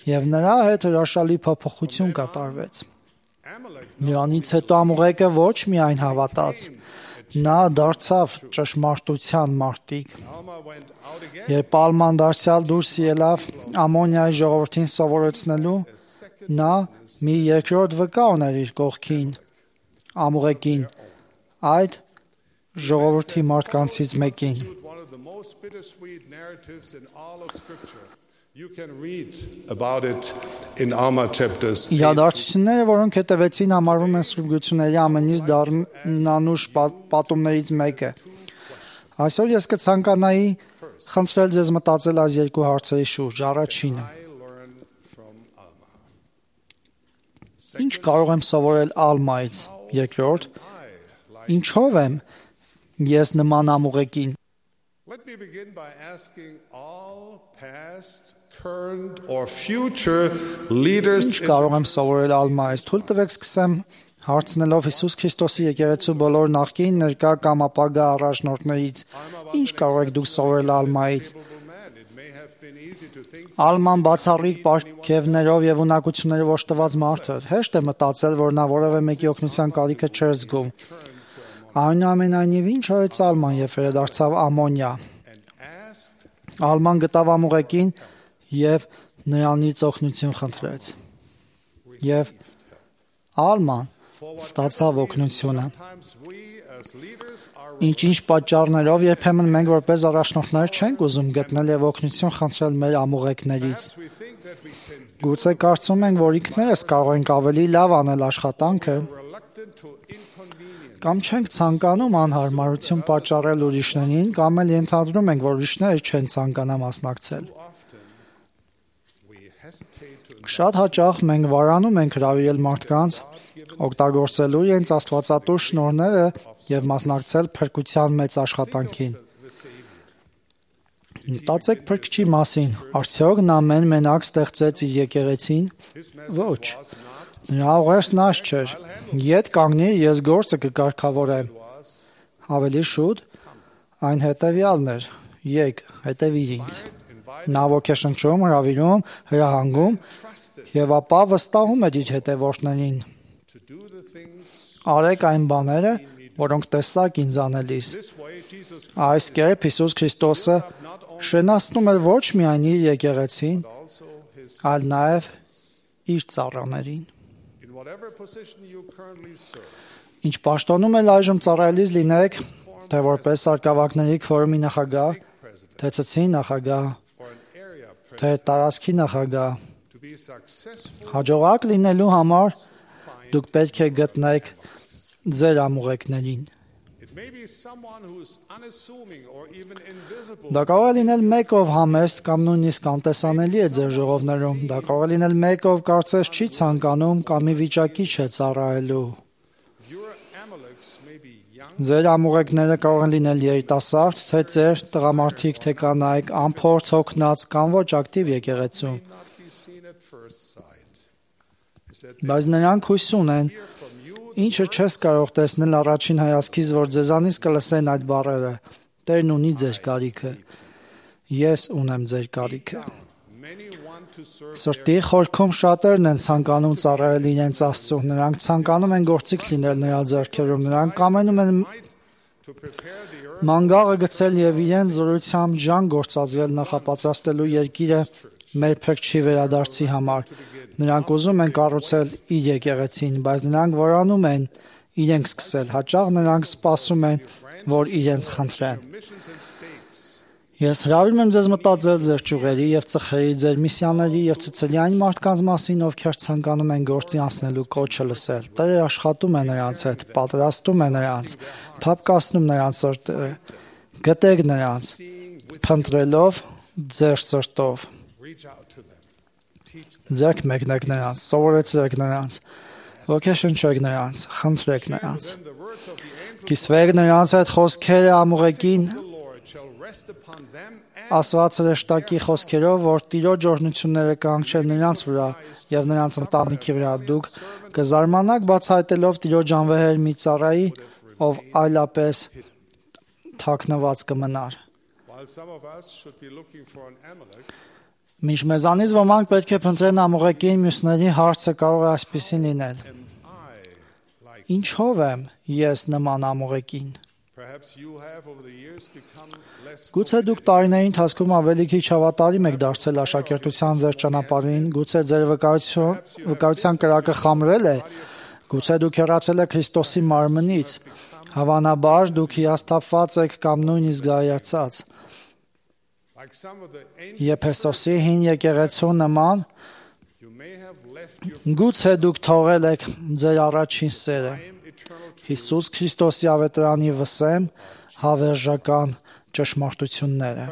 Speaker 2: եւ նրա հետ հրաշալի փոփոխություն կատարվեց։ Նրանից հետո Ամուղեկը ոչ միայն հավատաց, նա դարձավ ճշմարտության մարտիկ։ Երբ Ալման դարձյալ դուրս ելավ Ամոնիայի ժողովրդին սովորեցնելու, նա մի երկրորդ վկա ուներ իր կողքին, Ամուղեկին, այդ ժողովրդի մարդկանցից մեկին։ Իրադարձությունները, որոնք հետևեցին, համարվում են Սուրբ Գրությունների ամենից դառնանուշ պատումներից մեկը։ Այսօր ես կցանկանայի խնդրել ձեզ մտածել այս երկու հարցերի շուրջ։ Առաջինը. ինչ կարող եմ սովորել Ալմայից։ Երկրորդ, ինչով եմ ես նման Ամուղեկին։
Speaker 8: Let me begin by asking all past, current or future leaders.
Speaker 2: Ինչ կարող եմ սովորել Ալմայից։ Թույլ տվեք սկսեմ հարցնելով Հիսուս Քրիստոսի եկեղեցու բոլոր նախկին, ներկա կամ ապագա առաջնորդներից։ Ինչ կարող եք դուք սովորել Ալմայից։ Ալման բացառիկ պարգևներով եւ ունակություններով օժտված մարդ էր։ Հեշտ է մտածել, որ նա որևէ մեկի օգնության կարիքը չէր զգում։ Այնուամենայնիվ ինչ արեց Ալման, երբ վերադարձավ Ամոնիա։ Ալման գտավ Ամուղեկին եւ նրանից օգնություն խնդրեց։ Եվ Ալման ստացավ օգնությունը։ Ինչ-ինչ պատճառներով երբեմն մենք որպես առաջնորդներ չենք ուզում գտնել եւ օգնություն խնդրել մեր ամուղեկներից։ Գուցե կարծում ենք, որ ինքներս կարող ենք ավելի լավ անել աշխատանքը, կամ չենք ցանկանում անհարմարություն պատճառել ուրիշներին, կամ էլ ենթադրում ենք, որ ուրիշները չեն ցանկանա մասնակցել։ Շատ հաճախ մենք վարանում ենք հրավիրել մարդկանց, օգտագործելու իրենց աստվածատուր շնորհները եւ մասնակցել փրկության մեծ աշխատանքին։ Մտածեք փրկչի մասին, արդյոք նա մենակ ստեղծեց իր եկեղեցին։ Ոչ։ Նրա ուղերձն այս չէր. «Ետ կանգնի, ես գործը կկարգավորեմ»։ Ավելի շուտ այն հետևյալն էր. «Եկ, հետևիր ինձ»։ Նա ոգեշնչում, հրավիրում, հրահանգում եւ ապա վստահում էր իր հետևորդներին. «Արեք այն բաները, որոնք տեսաք ինձ անելիս»։ Այս կերպ Հիսուս Քրիստոսը շենացնում էր ոչ միայն իր եկեղեցին, այլ նաև իր ծառաներին։ Ինչ պաշտոնում էլ այժմ ծառայելիս լինեք, թե որպես արկավակների քվորումի նախագահ, թե ցցի նախագահ, թե տարածքի նախագահ, հաջողակ լինելու համար դուք պետք է գտնեք ձեր ամուղեկներին։ Դա կարող է լինել մեկ, ով համեստ կամ նույնիսկ անտեսանելի է ձեր ժողովներում։ Դա կարող է լինել մեկ, ով կարծես չի ցանկանում կամ ի վիճակի չէ ծառայելու։ Ձեր ամուղեկները կարող են լինել երիտասարդ, թե ծեր, տղամարդիկ, թե կանայք, անփորձ, հոգնած կամ ոչ ակտիվ եկեղեցում։ Բայց նրանք հույս ունեն, ինչը չես կարող տեսնել առաջին հայացքից, որ ձեզանից կլսեն այդ բառերը. Տերն ունի ձեր կարիքը, ես ունեմ ձեր կարիքը։ Սրտի խորքում շատերն են ցանկանում ծառայել իրենց Աստծուն, նրանք ցանկանում են գործիք լինել նրա ձեռքերում, նրանք կամենում են մանգաղը գցել եւ իրենց զորությամբ ջան գործադրել նախապատրաստելու երկիրը մեր փրկչի վերադարձի համար։ Նրանք ուզում են կառուցել իր եկեղեցին, բայց նրանք որանում են իրենք սկսել։ Հաճախ նրանք սպասում են, որ իրենց խնդրեն։ Ես հրավիրում եմ ձեզ մտածել ձեր ճյուղերի եւ ծխերի, ձեր միսիաների եւ ցցելի այն մարդկանց մասին, ովքեր ցանկանում են գործի անցնելու կոչը լսել։ Տերը աշխատում է նրանց հետ, պատրաստում է նրանց, փափկացնում նրանց սրտերը։ Գտեք նրանց, փնտրելով ձեր սրտով։ Ձեռք մեկնեք նրանց, սովորեցրեք նրանց, ոգեշնչեք նրանց, խնդրեք նրանց։ Կիսվեք նրանց հետ խոսքերը ամուղեկին Ասված հրեշտակի խոսքերով, որ Տիրոջ օրհնությունները կհանգչեն նրանց վրա եւ նրանց ընտանիքի վրա, դուք կզարմանաք բացահայտելով Տիրոջ անվեհեր մի ծառայի, ով այլապես թաքնված կմնար։ Մինչ մեզանից ոմանք պետք է փնտրեն ամուղեկին, մյուսների հարցը կարող է այսպիսին լինել. Ինչով եմ ես նման ամուղեկին։ Գուցե դուք տարիների ընթացքում ավելի քիչ հավատարիմ եք դարձել աշակերտության ձեր ճանապարհին, գուցե ձեր վկայության կրակը խամրել է, գուցե դուք հեռացել եք Քրիստոսի մարմնից, հավանաբար դուք հիասթափված եք կամ նույնիսկ գայացած։ Եփեսոսի հին եկեղեցու նման, գուցե դուք թողել եք ձեր առաջին սերը։ Հիսուս Քրիստոսի ավետարանի վսեմ հավերժական ճշմարտությունները։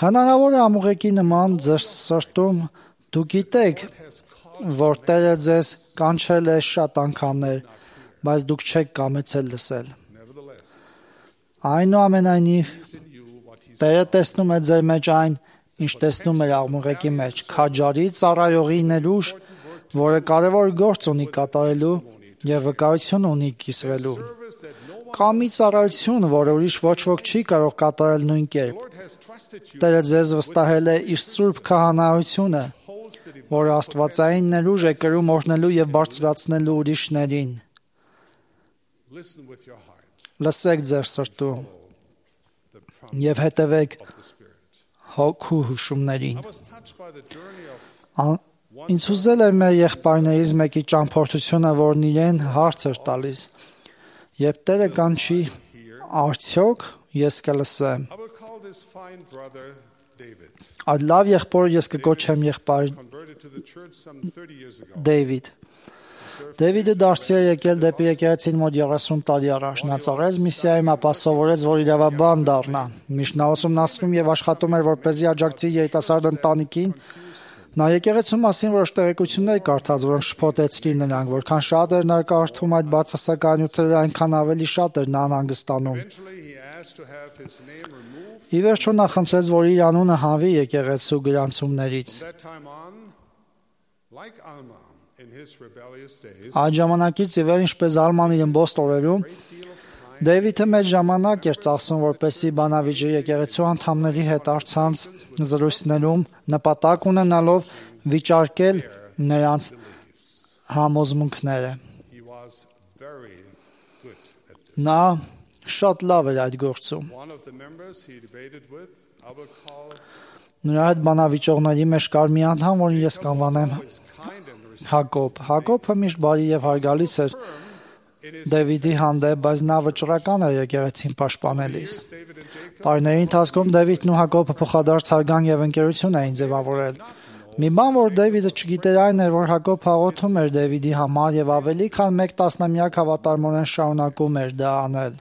Speaker 2: Հնարավոր է ամուղեկի նման ձեր սրտում դուք գիտեք, որ Տերը ձեզ կանչել է շատ անգամներ, բայց դուք չեք կամեցել լսել։ Այնուամենայնիվ, Տերը տեսնում է ձեր մեջ այն, ինչ տեսնում էր ամուղեկի մեջ, քաջարի ծառայողի ներուժ, որը կարևոր գործ ունի կատարելու եւ վկայություն ունի կիսվելու։ Կամ մի ծառայություն, որը ուրիշ ոչ ոք չի կարող կատարել նույն կերպ։ Տերը ձեզ վստահել է իր սուրբ քահանայությունը, որը աստվածային ներուժ է կրում օրհնելու եւ բարձրացնելու ուրիշներին։ Լսեք ձեր սրտում եւ հետևեք հոգու հուշումներին։ Ինձ ուզել է մեր եղբայրներից մեկի ճամփորդությունը, որն իրեն հարց էր տալիս. երբ Տերը կանչի, արդյոք ես կլսեմ։ Այդ լավ եղբորը ես կկոչեմ եղբայր Դեյվիդ։ Դեյվիդը դարձի է եկել դեպի եկեղեցին մոտ 30 տարի առաջ։ Նա ծառայեց միսիայում, ապա սովորեց, որ իրավաբան դառնա։ Միշտ նա ուսումնասիրում եւ աշխատում էր, որպեսզի աջակցի երիտասարդ ընտանիքին։ Նա եկեղեցու մասին որոշ տեղեկություններ կարդաց, որոնք շփոթեցրին նրան, որքան շատ էր նա կարդում այդ բացասական նյութերը, այնքան ավելի շատ էր նա անհանգստանում։ Ի վերջո նա խնդրեց, որ իր անունը հանվի եկեղեցու գրանցումներից։ Այդ ժամանակից ի վեր, ինչպես Ալման իր ըմբոստ օրերում, Դեյվիդը մեծ ժամանակ էր ծախսում, որպեսզի բանավիճի եկեղեցու անդամների հետ առցանց զրույցներում նպատակ ունենալով վիճարկել նրանց համոզմունքները։ Նա շատ լավ էր այդ գործում։ Նրա հետ բանավիճողների մեջ կար մի անդամ, որին ես կանվանեմ Հակոբ։ Հակոբը միշտ բարի եւ հարգալից էր Դեվիդի հանդեպ, բայց նա վճռական էր եկեղեցին պաշտպանելիս։ Տարիների ընթացքում Դեվիդն ու Հակոբը փոխադարձ հարգան եւ ընկերություն էին ձևավորել։ Մի բան, որ Դեվիդը չգիտեր, այն էր, որ Հակոբը աղոթում էր Դեվիդի համար եւ ավելի քան 1 տասնամյակ հավատարմորեն շարունակում էր դա անել։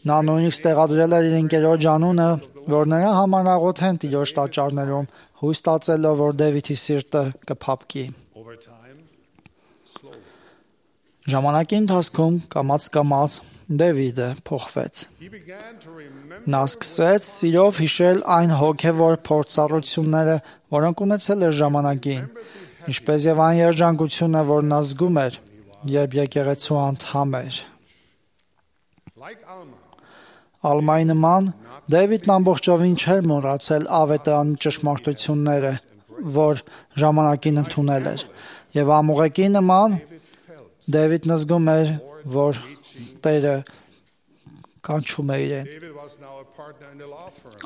Speaker 2: Նա նույնիսկ տեղադրել էր իր ընկերոջ անունը, որ նրա համար աղոթեն Տիրոջ տաճարներում, հույս տածելով, որ Դեվիդի սիրտը կփափկի։ Ժամանակի ընթացքում կամաց Դեվիդը փոխվեց։ Նա սկսեց սիրով հիշել այն հոգևոր փորձառությունները, որոնք ունեցել էր ժամանակին, ինչպես եւ այն երջանկությունը, որ նա զգում էր, երբ եկեղեցու անդամ էր։ Ալմայի նման Դեվիդն ամբողջովին չէր մոռացել ավետարանի ճշմարտությունները, որ ժամանակին ընդունել էր, եւ ամուղեկի նման Դեվիդն զգում էր, որ Տերը կանչում է իրեն։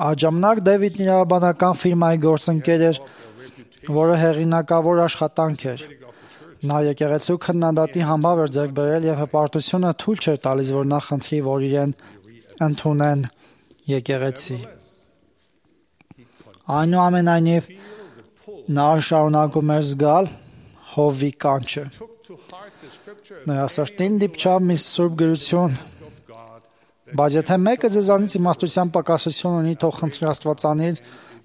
Speaker 2: Այդ ժամանակ Դեվիդն իրավաբանական ֆիրմայի գործընկեր էր, որը հեղինակավոր աշխատանք էր։ Նա եկեղեցու քննադատի համբավ էր ձեռք բերել եւ հպարտությունը թույլ չէր տալիս, որ նա խնդրի, որ իրեն ընդունեն եկեղեցի։ Այնուամենայնիվ նա շարունակում էր զգալ Հովվի կանչը։ Նրա սրտին դիպչավ մի սուրբ գրություն, բայց եթե մեկը ձեզանից իմաստության պակասություն ունի, թող խնդրի Աստվածանից,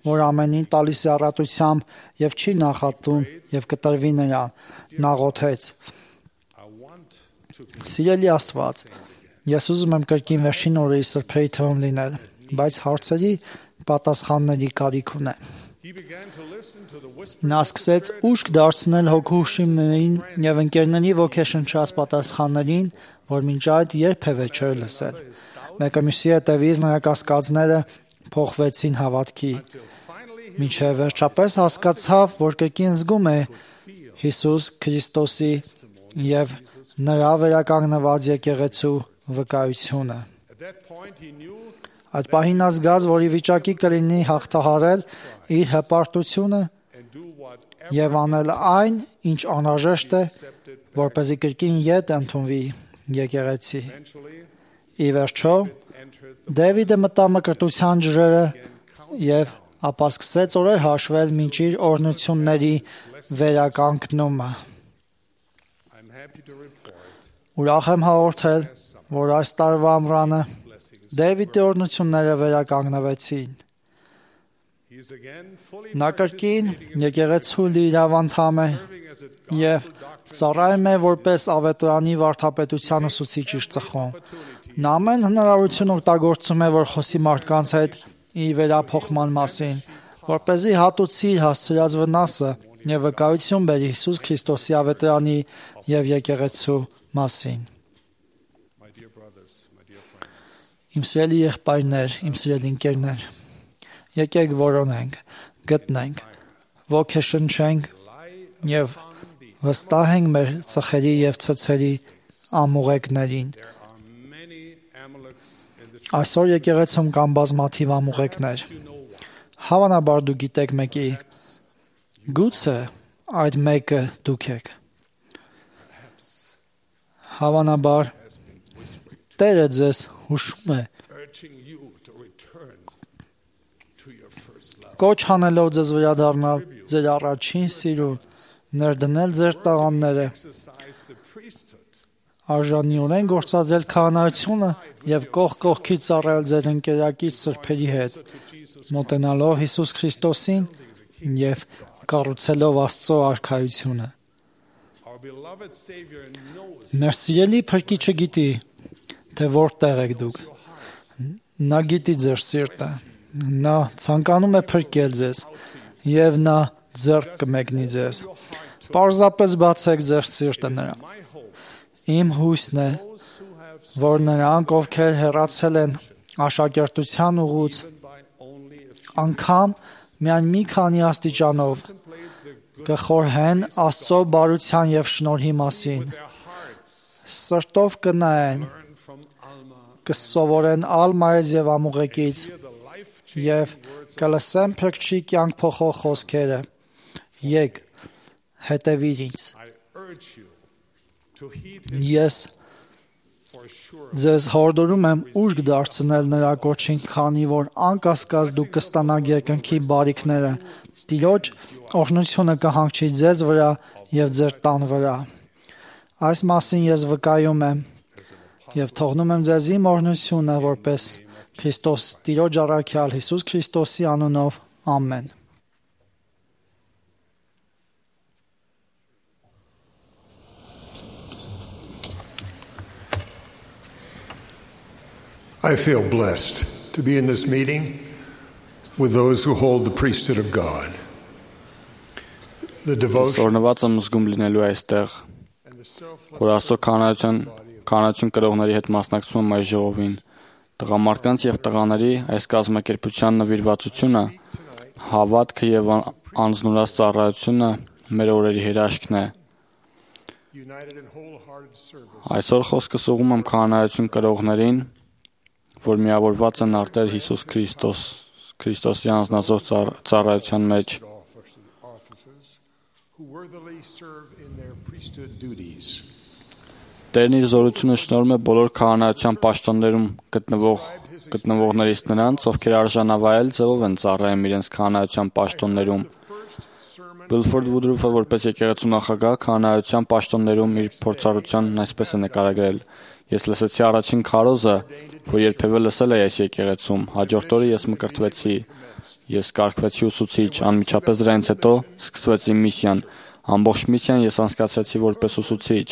Speaker 2: որ ամենին տալիս է առատությամբ եւ չի նախատում եւ կտրվի նրան։ Նա աղոթեց. Սիրելի Աստված, Ես ուզում եմ կրկին վերջին օրերի սրբերի թվում լինել, բայց հարցերի պատասխանների կարիք ունեմ։ Նա սկսեց ուշք դարձնել հոգու հուշիմներին եւ ընկերների ոգեշնչած պատասխաններին, որ մինչ այդ երբևէ չէր լսել։ Մեկը մյուսի հետևից նրա կասկածները փոխվեցին հավատքի, մինչև վերջապես հասկացավ, որ կրկին զգում է Հիսուս Քրիստոսի եւ նրա վերականգնված եկեղեցու վկայությունը։ Այդ պահին նա զգաց, որ ի վիճակի կլինի հաղթահարել իր հպարտությունը եւ անել այն, ինչ անհրաժեշտ է, որպեսզի կրկին ետ ընդունվի եկեղեցի։ Ի վերջո, Դավիթը մտավ մկրտության ջրերը եւ ապա սկսեց օրեր հաշվել մինչ իր օրհնությունների վերականգնումը։ Ուրախ եմ հաղորդել, որ այս տարվա ամռանը Դավիթի օրհնությունները վերականգնվեցին։ Նա կրկին եկեղեցու լիիրավ անդամ է եւ ծառայում է որպես ավետարանի վարդապետության ուսուցիչ իր ծխում։ Նա ամեն հնարավորություն օգտագործում է, որ խոսի մարդկանց հետ իր վերափոխման մասին, որպեսզի հատուցի իր հասցրած վնասը եւ վկայություն բերի Հիսուս Քրիստոսի ավետարանի եւ եկեղեցու մասին։ Իմ սիրելի եղբայրներ, իմ սիրելի ընկերներ, եկեք որոնենք, գտնենք, ոգեշնչենք եւ վստահենք մեր ծխերի եւ ցցերի ամուղեկներին։ Այսօր եկեղեցում կան բազմաթիվ ամուղեկներ։ Հավանաբար դու գիտեք մեկի, գուցե այդ մեկը դուք եք։ Հավանաբար Տերը ձեզ հուշում է, կոչ հանելով ձեզ վերադառնալ ձեր առաջին սիրուն, ներդնել ձեր տաղանները, արժանիորեն գործադրել քահանայությունը եւ կողք կողքի ծառայել ձեր ընկերակից սրբերի հետ, մոտենալով Հիսուս Քրիստոսին եւ կառուցելով Աստծո արքայությունը։ Մեր սիրելի Փրկիչը գիտի, թե որտեղ եք դուք։ Նա գիտի ձեր սիրտը։ Նա ցանկանում է փրկել ձեզ եւ նա ձեռք կմեկնի ձեզ։ Պարզապես բացեք ձեր սիրտը նրան։ Իմ հույսն է, որ նրանք, ովքեր հեռացել են աշակերտության ուղուց, անգամ միայն մի քանի աստիճանով կխորհեն Աստծո բարության եւ շնորհի մասին։ Սրտով կնայեն, կսովորեն Ալմայից եւ ամուղեկից եւ կլսեն Փրկչի կյանք փոխող խոսքերը։ Եկ, հետևիր ինձ։ Ես ձեզ հորդորում եմ ուշք դարձնել նրա կոչին, քանի որ անկասկած դուք կստանաք երկնքի բարիքները։ Տիրոջ օրհնությունը կհանգչի ձեզ վրա եւ ձեր տան վրա։ Այս մասին ես վկայում եմ եւ թողնում եմ ձեզ իմ օրհնությունը որպես Քրիստոս Տիրոջ առաքյալ Հիսուս Քրիստոսի անունով, ամեն։
Speaker 5: I feel blessed to be in this meeting with those who hold the priesthood of God. The devotion
Speaker 4: Սորնված եմ զգում լինելու այստեղ, որ Աստծո քահանայություն կրողների հետ մասնակցում եմ այս ժողովին։ Տղամարդկանց եւ տղաների այս կազմակերպության նվիրվածությունը, հավատքը եւ անձնուրաց ծառայությունը մեր օրերի հրաշքն է։ Այսօր խոսքս ուղղում եմ քահանայություն կրողներին, որ միավորված են արտեր Հիսուս Քրիստոսի անձնազոհ ծառայության մեջ։ Տերն իր զորությունը շնորհում է բոլոր քահանայության պաշտոններում գտնվողներից նրանց, ովքեր արժանավայել ձևով են ծառայում իրենց քահանայության պաշտոններում։ Բիլֆորդ Վուդրուֆը որպես եկեղեցու նախագահ քահանայության պաշտոններում իր փորձառությանն այսպես է նկարագրել. Ես լսեցի առաջին քարոզը, որ երբևէ լսել էի այս եկեղեցում։ Հաջորդ օրը ես մկրտվեցի։ Ես կարգվեցի ուսուցիչ, անմիջապես դրանից հետո սկսվեց իմ միսիան։ Ամբողջ միսիան ես անցկացրեցի որպես ուսուցիչ։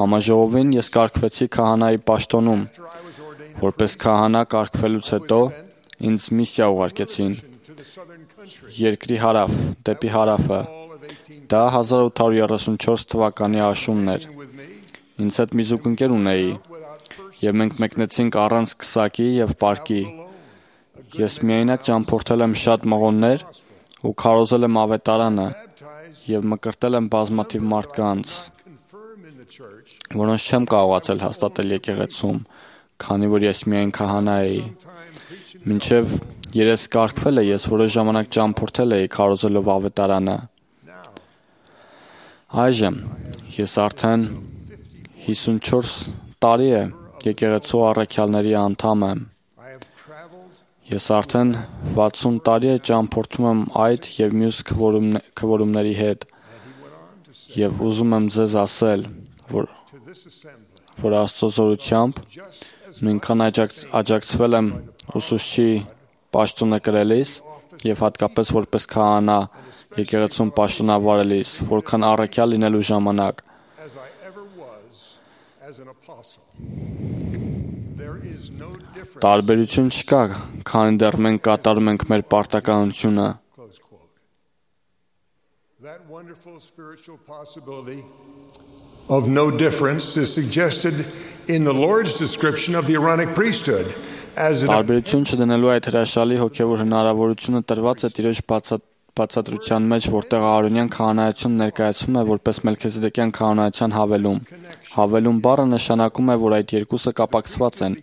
Speaker 4: Համաժողովին ես կարգվեցի քահանայի պաշտոնում։ Որպես քահանա կարգվելուց հետո ինձ միսիա ուղարկեցին երկրի հարավ, դեպի հարավը։ Դա 1834 թվականի աշունն էր։ Ինձ հետ մի զուգընկեր ունեի, եւ մենք մեկնեցինք առանց քսակի եւ պարկի։ Ես միայնակ ճամփորդել եմ շատ մղոններ ու քարոզել եմ ավետարանը եւ մկրտել եմ բազմաթիվ մարդկանց, որոնց չեմ կարողացել հաստատել եկեղեցում, քանի որ ես միայն քահանա էի։ Մինչև երես կարգվել է, ես որոշ ժամանակ ճամփորդել էի քարոզելով ավետարանը։ Այժմ ես արդեն 54 տարի է եկեղեցու առաքյալների անդամ եմ։ Ես արդեն 60 տարի է ճամփորդում եմ այդ եւ մյուս քվորումների հետ եւ ուզում եմ ձեզ ասել, որ Աստծո զորությամբ նույնքան աջակցվել եմ ուսուցչի պաշտոնը կրելիս եւ հատկապես որպես քահանա եկեղեցում պաշտոնավարելիս, որքան առաքյալ լինելու ժամանակ։ Տարբերություն չկա, քանի դեռ մենք կատարում ենք մեր պարտականությունը։
Speaker 5: That wonderful spiritual possibility of no difference is suggested in the Lord's description of the Aaronic priesthood as
Speaker 4: Տարբերություն չդնելու այդ հրաշալի հոգևոր հնարավորությունը տրված է Տիրոջ բացատրության մեջ, որտեղ Аарոնյան քահանայությունը ներկայացվում է որպես Մելքիզեդեկյան քահանայության հավելում։ Հավելում բառը նշանակում է, որ այդ երկուսը կապակցված են։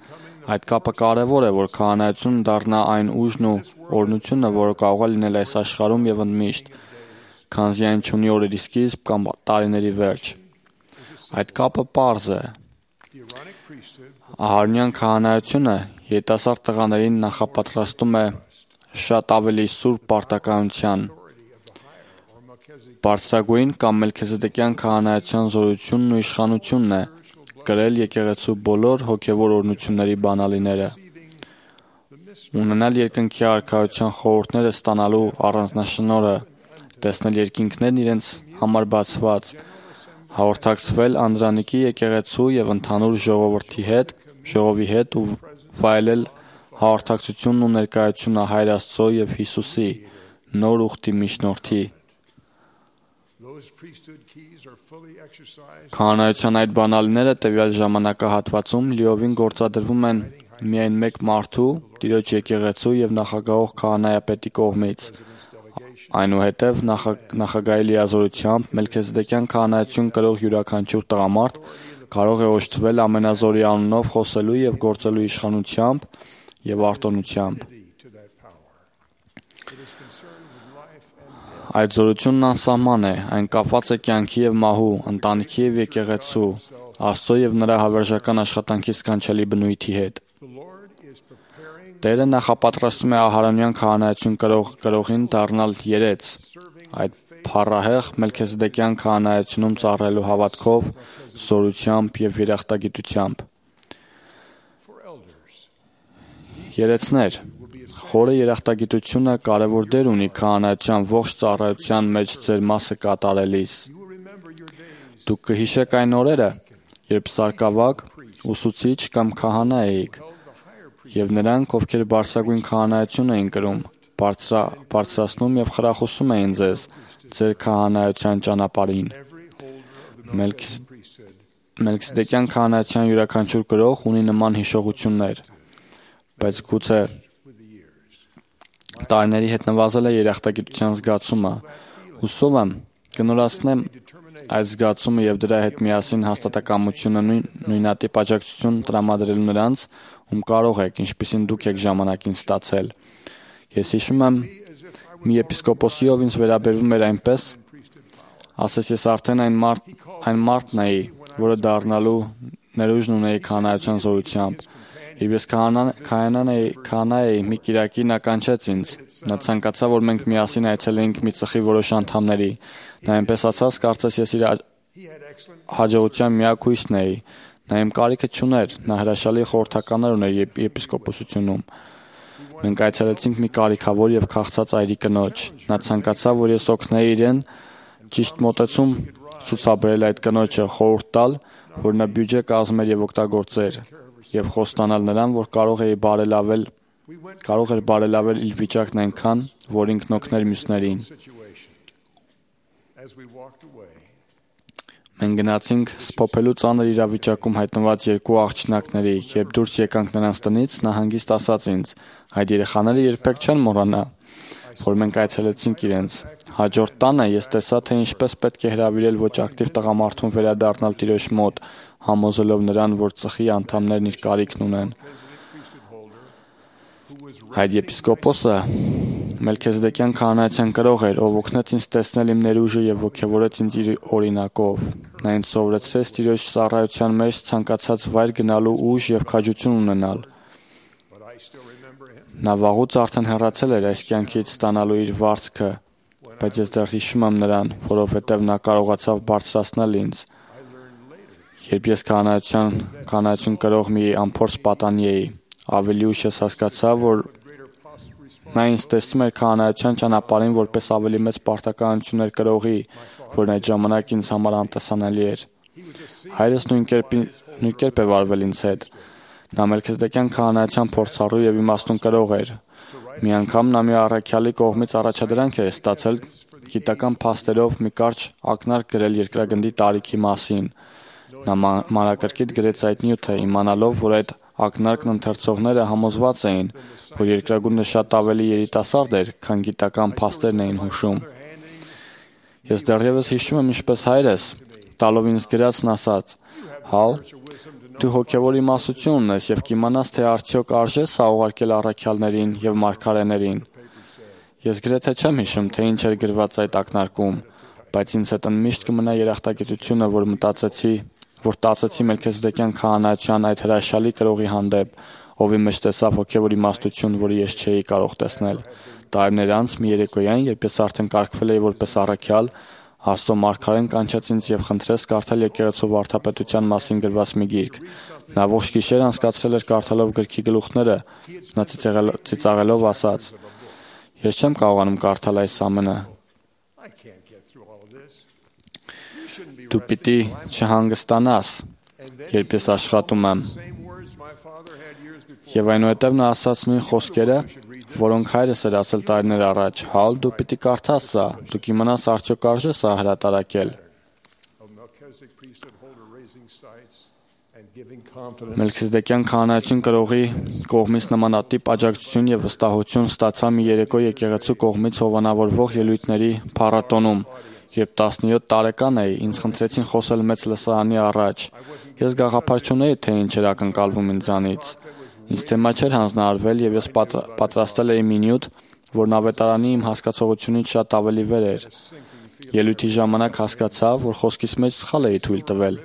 Speaker 4: Այդ կապը կարևոր է, որ քահանայությունը դառնա այն ուժն ու օրհնությունը, որը կարող է լինել այս աշխարհում եւ ընդմիշտ, քանզի այն չունի օրերի սկիզբ կամ տարիների վերջ։ Այդ կապը պարզ է։ Ահարոնյան քահանայությունը երիտասարդ տղաներին նախապատրաստում է շատ ավելի սուրբ պարտականության։ Բարձրագույն կամ Մելքիզեդեկյան քահանայության զորությունն ու իշխանությունն է կրել եկեղեցու բոլոր հոգևոր օրհնությունների բանալիները։ Ունենալ երկնքի արքայության խորհուրդները ստանալու առանձնաշնորհը, տեսնել երկինքներն իրենց համար բացված, հաղորդակցվել Անդրանիկի եկեղեցու եւ ընդհանուր ժողովի հետ ու վայելել հաղորդակցությունն ու ներկայությունը Հայր Աստծո եւ Հիսուսի նոր ուխտի միջնորդի։ Քահանայության այդ բանալիները տվյալ ժամանակահատվածում լիովին գործադրվում են միայն մեկ մարդու, Տիրոջ եկեղեցու եւ նախագահող քահանայապետի կողմից։ Այնուհետև նախագահի լիազորությամբ Մելքիզեդեկյան քահանայություն կրող յուրաքանչյուր տղամարդ կարող է օժտվել ամենազորի անունով խոսելու եւ գործելու իշխանությամբ եւ արտոնությամբ։ Այդ զորությունն անսահման է, այն կապված է կյանքի եւ մահու, ընտանիքի եւ եկեղեցու, Աստծո եւ նրա հավերժական աշխատանքի սքանչելի բնույթի հետ։ Տերը նախապատրաստում է Ահարոնյան քահանայություն կրողին դառնալ երեց, այդ փառահեղ Մելքիզեդեկյան քահանայությունում ծառայելու հավատքով, զորությամբ եւ երախտագիտությամբ։ Երեցներ, խորը երախտագիտությունը կարևոր դեր ունի քահանայության ողջ ծառայության մեջ ձեր մասը կատարելիս։ Դուք կհիշեք այն օրերը, երբ սարկավակ, ուսուցիչ կամ քահանա էիք, եւ նրանք, ովքեր բարձրագույն քահանայություն էին կրում, բարձրացնում եւ խրախուսում էին ձեզ ձեր քահանայության ճանապարհին։ Մելքիզեդեկյան քահանայության յուրաքանչյուր գրող ունի նման հիշողություններ, բայց գուցե տարիների հետ նվազել է երախտագիտության զգացումը։ Հուսով եմ կնորացնեմ այդ զգացումը եւ դրա հետ միասին հաստատակամությունը նույնատիպ աջակցություն տրամադրել նրանց, ում կարող եք, ինչպիսին դուք եք ժամանակին ստացել։ Ես հիշում եմ մի եպիսկոպոսի, ով ինձ վերաբերվում էր այնպես, ասես ես արդեն այն մարդն էի, որը դառնալու ներուժն ունեի քահանայության զորությամբ։ Երբ ես քահանա էի, մի կիրակի նա կանչեց ինձ։ Նա ցանկացավ, որ մենք միասին այցելեինք մի ծխի որոշ անդամների։ Նա այնպես ասաց, կարծես ես իր հաջողության միակ հույսն էի։ Նա իմ կարիքը չուներ, նա հրաշալի խորհրդականներ ուներ եպիսկոպոսությունում։ Մենք այցելեցինք մի կարիքավոր եւ քաղցած այրի կնոջ։ Նա ցանկացավ, որ ես օգնեի իրեն ճիշտ մոտեցում ցուցաբերել այդ կնոջը, խորհուրդ տալ, որ նա բյուջե կազմեր եւ օգտագործեր, եւ խոստանալ նրան, որ կարող էր բարելավել իր վիճակն այնքան, որ ինքն օգներ մյուսներին։ Մենք գնացինք սփոփելու ծանր իրավիճակում հայտնված երկու աղջնակների, երբ դուրս եկանք նրանց տնից, նա հանգիստ ասաց ինձ. «Այդ երեխաները երբեք չեն մոռանա, որ մենք այցելեցինք իրենց»։ Հաջորդ տանը ես տեսա, թե ինչպես պետք է հրավիրել ոչ ակտիվ տղամարդուն վերադառնալ տիրոջ մոտ, համոզելով նրան, որ ծխի անդամներն իր կարիքն ունեն։ Այդ եպիսկոպոսը Մելքիզեդեկյան քահանայության կրող էր, ով օգնեց ինձ տեսնել իմ ներուժը եւ ոգևորեց ինձ իր օրինակով։ Նա ինձ սովորեցրեց տիրոջ ծառայության մեջ ցանկացած վայր գնալու ուժ եւ քաջություն ունենալ։ Նա վաղուց արդեն հեռացել էր այս կյանքից ստանալու իր վարձքը, բայց ես դեռ հիշում եմ նրան, որովհետև նա կարողացավ բարձրացնել ինձ։ Երբ ես քահանայություն կրող մի անփորձ պատանի էի, ավելի ուշ ես հասկացա, որ նա ինձ տեսնում էր քահանայության ճանապարհին որպես ավելի մեծ պարտականություններ կրողի, որն այդ ժամանակ ինձ համար անտեսանելի էր։ Հայրս նույն կերպ է վարվել ինձ հետ։ Նա Մելքիզեդեկյան քահանայության փորձառու եւ իմաստուն կրող էր։ Մի անգամ նա մի առաքյալի կողմից առաջադրանք էր ստացել գիտական փաստերով մի կարճ ակնարկ գրել երկրագնդի տարիքի մասին։ Նա մանրակրկիտ գրեց այդ նյութը, իմանալով, որ այդ ակնարկն ընթերցողները համոզված էին, որ երկրագունդը շատ ավելի երիտասարդ էր, քան գիտական փաստերն էին հուշում։ Ես դեռևս հիշում եմ, ինչպես հայրս, տալով ինձ գրածն ասաց. «Հալ, դու հոգևոր իմաստություն ունես եւ կիմանաս, թե արդյոք արժե սա ուղարկել առաքյալներին եւ մարգարեներին»։ Ես գրեթե չեմ հիշում, թե ինչ էր գրված այդ ակնարկում, բայց ինձ հետ միշտ կմնա երախտագիտությունը, որ տածեցի Մելքիզեդեկյան քահանայության այդ հրաշալի կրողի հանդեպ, ով իմ մեջ տեսավ հոգևոր իմաստություն, որը ես չէի կարող տեսնել։ Տարիներ անց մի երեկոյան, երբ ես արդեն կարգվել էի որպես առաքյալ, Աստծո մարգարեն կանչեց ինձ եւ խնդրեց կարդալ եկեղեցու վարդապետության մասին գրված մի գիրք։ Նա ողջ գիշեր անցկացրել էր կարդալով գրքի գլուխները, նա ծիծաղելով ասաց. «Ես չեմ կարողանում կարդալ այս ամենը։ Դու պիտի չհանգստանաս, երբ ես աշխատում եմ»։ Եվ այնուհետև նա ասաց նույն խոսքերը, որոնք հայրս էր ասել տարիներ առաջ. «Հալ, դու պիտի կարդաս սա, դու կիմանաս արդյոք արժե սա հրատարակել»։ Մելքիզեդեկյան քահանայություն կրողի կողմից նմանատիպ աջակցություն եւ վստահություն ստացա մի երեկո եկեղեցու կողմից հովանավորվող ելույթների փառատոնում, երբ 17 տարեկան էի, ինձ խնդրեցին խոսել մեծ լսարանի առաջ։ Ես գաղափար չունեի, թե ինչ էր ակնկալվում ինձանից։ Ինձ թեմա չէր հանձնարարվել եւ ես պատրաստել էի մի նյութ, որն ավետարանի իմ հասկացողությունից շատ ավելի վեր էր։ Ելույթի ժամանակ հասկացա, որ խոսքիս մեջ սխալ էի թույլ տվել։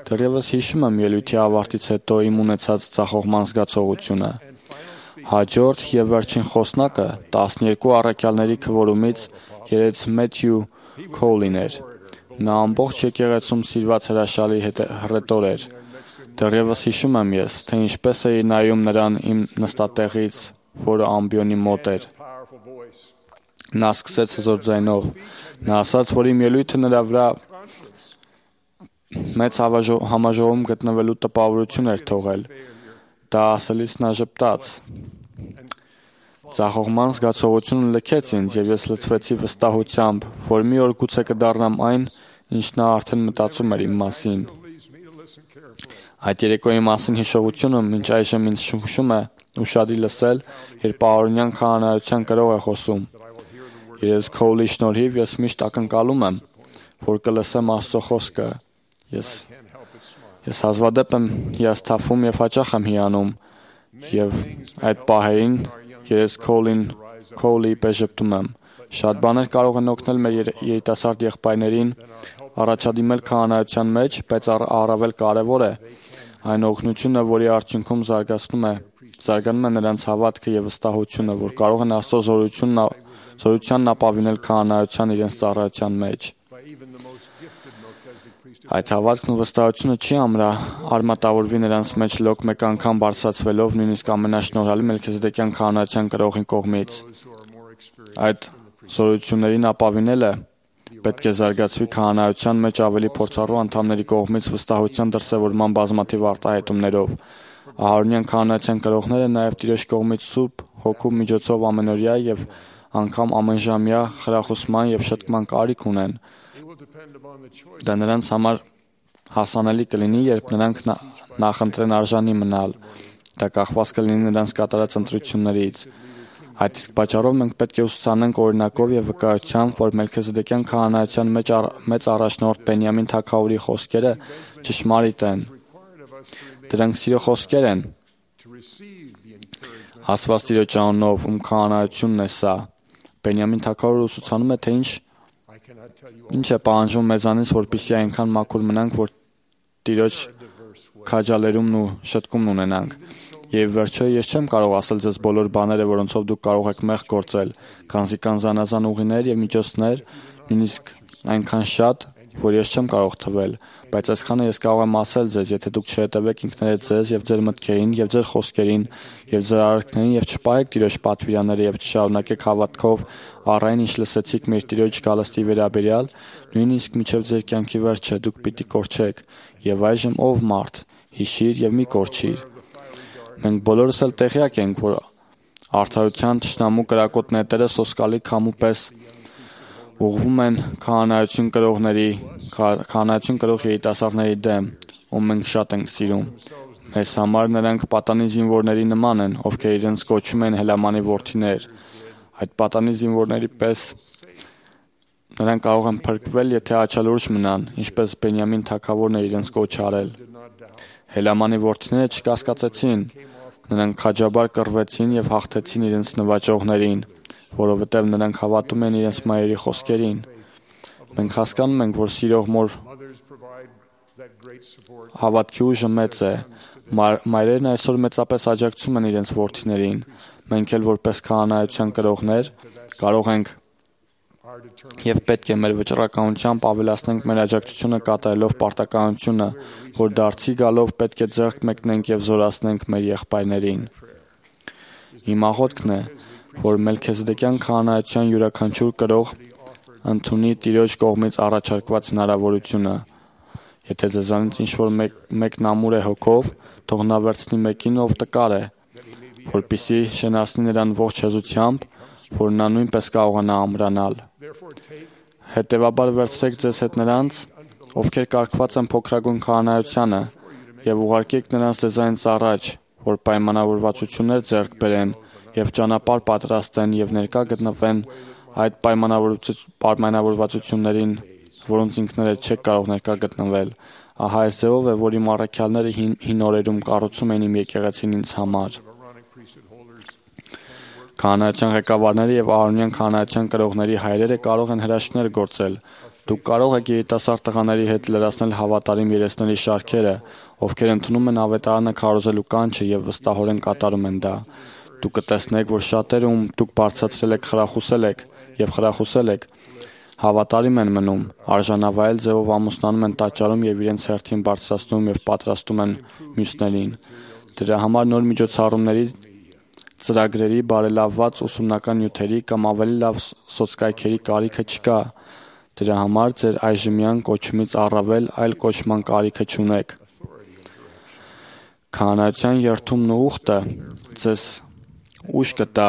Speaker 4: Դեռևս հիշում եմ ելույթի ավարտից հետո իմ ունեցած ցախողման զգացողությունը։ Հաջորդ եւ վերջին խոսնակը 12 առաքյալների քվորումից երեց Մեթյու Քոլին էր։ Նա ամբողջ եկեղեցում սիրված հրաշալի հռետոր էր։ Դեռևս հիշում եմ ես, թե ինչպես էի նայում նրան իմ նստատեղից, որը ամբիոնի մոտ էր։ Նա սկսեց հզոր ձայնով։ Նա ասաց, որ իմ ելույթը նրա վրա մեծ համաժողովում գտնվելու տպավորություն էր թողել։ Դա ասելիս նա ժպտաց։ Ցախողման զգացողությունը լքեց ինձ եւ ես լցվեցի վստահությամբ, որ մի օր գուցե կդառնամ այն, ինչ նա արդեն մտածում էր իմ մասին։ Այդ երեկոյի մասին հիշողությունը մինչ այժմ ինձ շփում է ուշադիր լսել, երբ Պաորոնյան քահանայության կրող է խոսում։ Երես Քոլի շնորհիվ ես միշտ ակնկալում եմ, որ կլսեմ Աստծո խոսքը։ Ես հազվադեպ եմ հիասթափվում եւ հաճախ եմ հիանում, եւ այդ պահերին երես Քոլի պես ժպտում եմ։ Շատ բաներ կարող են օգնել մեր երիտասարդ եղբայրներին առաջադիմել քահանայության մեջ, բայց առավել կարևոր է այն օգնությունը, որի արդյունքում զարգանում է նրանց հավատքը եւ վստահությունը, որ կարող են Աստծո զորությանն ապավինել քահանայության իրենց ծառայության մեջ։ Այդ հավատքն ու վստահությունը չի արմատավորվի նրանց մեջ լոկ մեկ անգամ բարձրացվելով նույնիսկ ամենաշնորհալի Մելքիզեդեկյան քահանայության կրողի կողմից։ Այդ զորություններին ապավինելը պետք է զարգացվի քահանայության մեջ ավելի փորձառու անդամների կողմից վստահության դրսևորման բազմաթիվ արտահայտումներով։ Ահարոնյան քահանայության կրողները նաև Տիրոջ կողմից Սուրբ Հոգու միջոցով ամենօրյա եւ անգամ ամենժամյա խրախուսման եւ շտկման կարիք ունեն։ Դա նրանց համար հասանելի կլինի, երբ նրանք նախընտրեն արժանի մնալ։ Դա կախված կլինի նրանց կատարած ընտրություններից։ Այդ իսկ պատճառով մենք պետք է ուսուցանենք օրինակով եւ վկայությամբ, որ Մելքիզեդեկյան քահանայության մեծ առաջնորդ Բենյամին թագավորի խոսքերը ճշմարիտ են։ Դրանք սիրո խոսքեր են։ Աստված Տիրոջ անունով, ում քահանայությունն է սա։ Բենյամին թագավորը ուսուցանում է, թե ինչ է պահանջում մեզանից, որպեսզի այնքան մաքուր մնանք, որ Տիրոջ քաջալերումն ու շտկումն ունենանք։ Եվ վերջո ես չեմ կարող ասել ձեզ բոլոր բաները, որոնցով դուք կարող եք մեղք գործել, քանզի կան զանազան ուղիներ եւ միջոցներ, նույնիսկ այնքան շատ, որ ես չեմ կարող թվել, բայց այսքանը ես կարող եմ ասել ձեզ, եթե դուք չհետևեք ինքներդ ձեզ եւ ձեր մտքերին եւ ձեր խոսքերին եւ ձեր արարքներին եւ չպահեք Տիրոջ պատվիրանները եւ չշարունակեք հավատքով առայն ինչ լսեցիք մեր Տիրոջ գալստի վերաբերյալ, նույնիսկ մինչեւ ձեր կյանքի վերջը դուք պիտի կորչեք։ Եվ այժմ ով մարդ, հիշիր եւ մի կորչիր։ Մենք բոլորս էլ տեղյակ ենք, որ արդարության թշնամու կրակոտ նետերը սոսկալի քամու պես ուղղվում են քահանայություն կրող երիտասարդների դեմ, ում մենք շատ ենք սիրում։ Մեզ համար նրանք պատանի զինվորների նման են, ովքեր իրենց կոչում են Հելամանի որդիներ։ Այդ պատանի զինվորների պես նրանք կարող են փրկվել, եթե աչալուրջ մնան, ինչպես Բենյամին թագավորն է իրենց կոչ արել։ Հելամանի որդիները չկասկածեցին, նրանք քաջաբար կռվեցին եւ հաղթեցին իրենց նվաճողներին, որովհետեւ նրանք հավատում են իրենց մայրերի խոսքերին։ Մենք հասկանում ենք, որ սիրող մոր հավատքի ուժը մեծ է։ Մայրերն այսօր մեծապես աջակցում են իրենց որդիներին։ Մենք էլ որպես քահանայության կրողներ կարող ենք եւ պետք է մեր վճռականությամբ ավելացնենք մեր աջակցությունը կատարելով պարտականությունը, որ դարձի գալով պետք է ձեռք մեկնենք եւ զորացնենք մեր եղբայրներին։ Իմ աղոթքն է, որ Մելքիզեդեկյան քահանայության յուրաքանչյուր կրող ընդունի Տիրոջ կողմից առաջարկված հնարավորությունը։ Եթե ձեզանից ինչ-որ մեկն ամուր է հոգով, թող նա վերցնի մեկին, ով տկար է, որպեսզի շենացնի նրան ողջ հեզությամբ, որ նա նույնպես կարողանա ամրանալ։ Հետևաբար վերցրեք ձեզ հետ նրանց, ովքեր կարգված են փոքրագույն քահանայությանը, եւ ուղարկեք նրանց ձեզանից առաջ, որ պայմանավորվածություններ ձեռք բերեն եւ ճանապարհ պատրաստեն եւ ներկա գտնվեն այդ պայմանավորվածություններին, որոնց ինքներդ չեք կարող ներկա գտնվել։ Ահա այս ձևով է, որ իմ առաքյալները հին օրերում կառուցում էին իմ եկեղեցին ինձ համար։ Քահանայության ղեկավարները եւ Ահարոնյան քահանայության կրողների հայրերը կարող են հրաշքներ գործել։ Դուք կարող եք երիտասարդ տղաների հետ լրացնել հավատարիմ երեսների շարքերը, ովքեր ընդունում են ավետարանը քարոզելու կանչը եւ վստահորեն կատարում են դա։ Դուք կտեսնեք, որ շատերը, ում դուք բարձրացրել եք, խրախուսել եք, հավատարիմ են մնում, արժանավայել ձևով ամուսնանում են տաճարում եւ իրենց հերթին բարձրացնում եւ պատրաստում են մյուսներին։ Դրա համար նոր միջոցառումների, ծրագրերի, բարելավված ուսումնական նյութերի կամ ավելի լավ սոցկայքերի կարիքը չկա։ Դրա համար ձեր այժմյան կոչումից առավել այլ կոչման կարիքը չունեք։ Քահանայության երթումն ու ուխտը ձեզ ուժ կտա,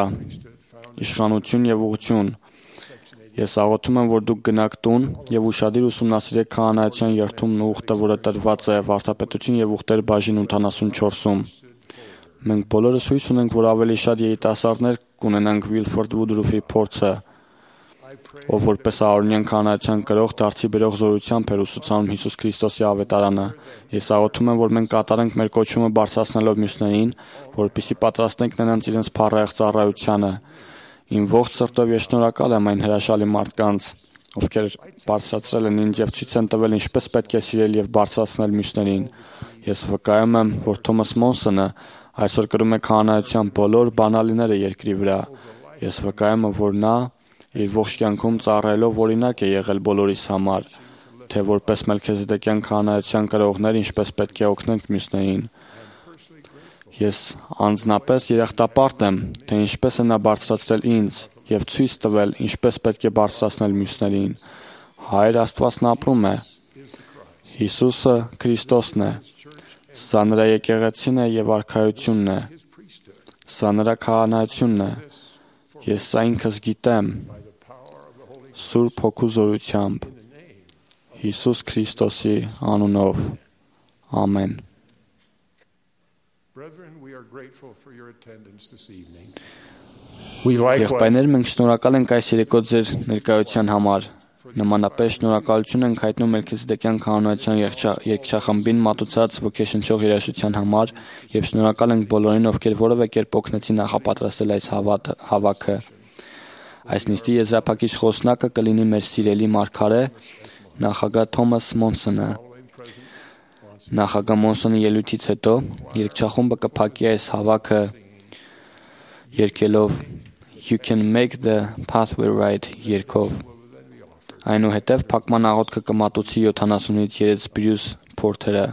Speaker 4: իշխանություն եւ ուղղություն։ Ես աղոթում եմ, որ դուք գնաք տուն եւ ուշադիր ուսումնասիրեք քահանայության երթումն ու ուխտը, որը տրված է Վարդապետություն եւ ուխտեր բաժին 84-ում։ Մենք բոլորս հույս ունենք, որ ավելի շատ երիտասարդներ կունենանք Վիլֆորդ Վուդրուֆի փորձը, ով որպես Ահարոնյան քահանայության կրող դարձի բերող զորությամբ էր ուսուցանում Հիսուս Քրիստոսի ավետարանը։ Ես աղոթում եմ, որ մենք կատարենք մեր կոչումը բարձրացնելով մյուսներին, որպեսզի պատրաստենք նրանց իրենց փառահեղ ծառայությանը։ Իմ ողջ սրտով ես շնորհակալ եմ այն հրաշալի մարդկանց, ովքեր բարձրացրել են ինձ եւ ցույց են տվել ինչպես պետք է սիրել եւ բարձրացնել մյուսներին։ Ես վկայում եմ, որ Թոմաս Մոնսոնը այսօր կրում է քահանայության բոլոր բանալիները երկրի վրա։ Ես վկայում եմ, որ նա իր ողջ կյանքում ծառայելով օրինակ է եղել բոլորիս համար, թե որպես Մելքիզեդեկյան քահանայության կրողներ ինչպես պետք է օգնենք մյուսներին։ Ես անձնապես երախտապարտ եմ, թե ինչպես է նա բարձրացրել ինձ եւ ցույց տվել ինչպես պետք է բարձրացնել մյուսներին։ Հայր Աստվածն ապրում է։ Հիսուսը Քրիստոսն է։ Սա նրա եկեղեցին է եւ արքայությունն է։ Սա նրա քահանայությունն է։ Ես սա ինքս գիտեմ։ Սուրբ Հոգու զորությամբ Հիսուս Քրիստոսի անունով։ Ամեն։ Եղբայրներ, մենք շնորհակալ ենք այս երեկո ձեր ներկայության համար։ Նմանապես շնորհակալություն ենք հայտնում Մելքիզեդեկյան քահանայության երգչախմբին մատուցած ոգեշնչող երաժշտության համար եւ շնորհակալ ենք բոլորին, ովքեր որևէ կերպ օգնեցին նախապատրաստել այս հավաքը։ Այս նիստի եզրափակիչ խոսնակը կլինի մեր սիրելի մարգարե նախագահ Թոմաս Մոնսոնը։ Նախագահ Մոնսոնի ելույթից հետո երգչախումբը կփակի այս հավաքը երգելով You can make the pathway right երգով։ Այնուհետև փակման աղոթքը կմատուցի 70-ից 3 Բրյուս Փորթերը։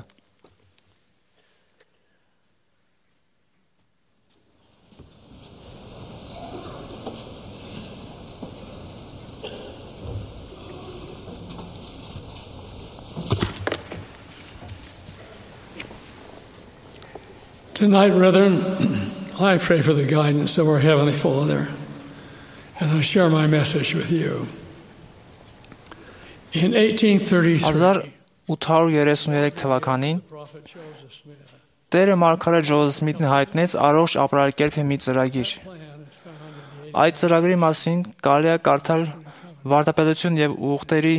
Speaker 9: Tonight, brethren, I pray for the guidance of our Heavenly Father as I share my message with you. In
Speaker 6: 1833 թվականին Տերը մարգարե Ջոզեֆ Սմիթն հայտնեց առողջ ապրելակերպի մի ծրագիր։ Այդ ծրագրի մասին կարելի է կարդալ Վարդապետություն եւ ուղտերի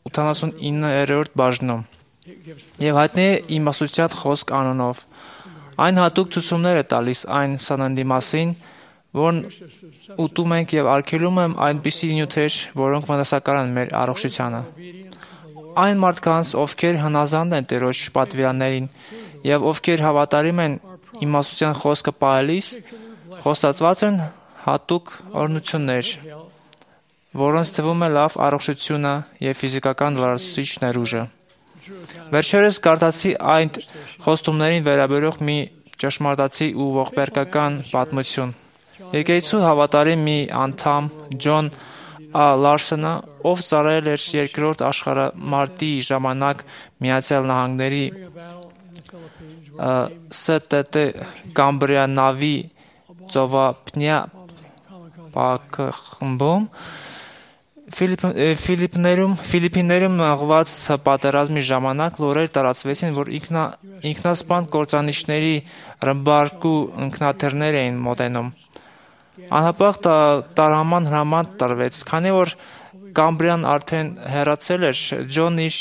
Speaker 6: 89-րդ բաժնում։ Եվ հայտնի է իմաստության խոսք անունով։ Այն հատուկ ցուցումներ է տալիս այն սննդի մասին, որն ուտում ենք եւ արգելում եմ այնպիսի նյութեր, որոնք վնասակար են մեր առողջությանը։ Այն մարդկանց, ովքեր հնազանդ են Տերոջ պատվիրաններին եւ ովքեր հավատարիմ են իմաստության խոսքը պահելիս, խոստացված են հատուկ օրհնություններ, որոնց թվում է լավ առողջությունը եւ ֆիզիկական լրացուցիչ ներուժը։ Վերջերս կարդացի այն խոստումներին վերաբերող մի ճշմարտացի ու ողբերգական պատմություն։ Եկեղեցու հավատարիմ մի անդամ Ջոն Լարսոնը, ով ծառայել էր երկրորդ աշխարհամարտի ժամանակ Միացյալ Նահանգների ՍՏՏ Կամբրիա նավի ծովափնյա պակխմբում Ֆիլիպիներում մղված պատերազմի ժամանակ լուրեր տարածվեցին, որ ինքնասպան կործանիչների ռմբարկու ինքնաթիռներ էին մոտենում։ Անհապաղ տարհաման հրաման տրվեց, քանի որ Կամբրիան արդեն հեռացել էր, Ջոնն իր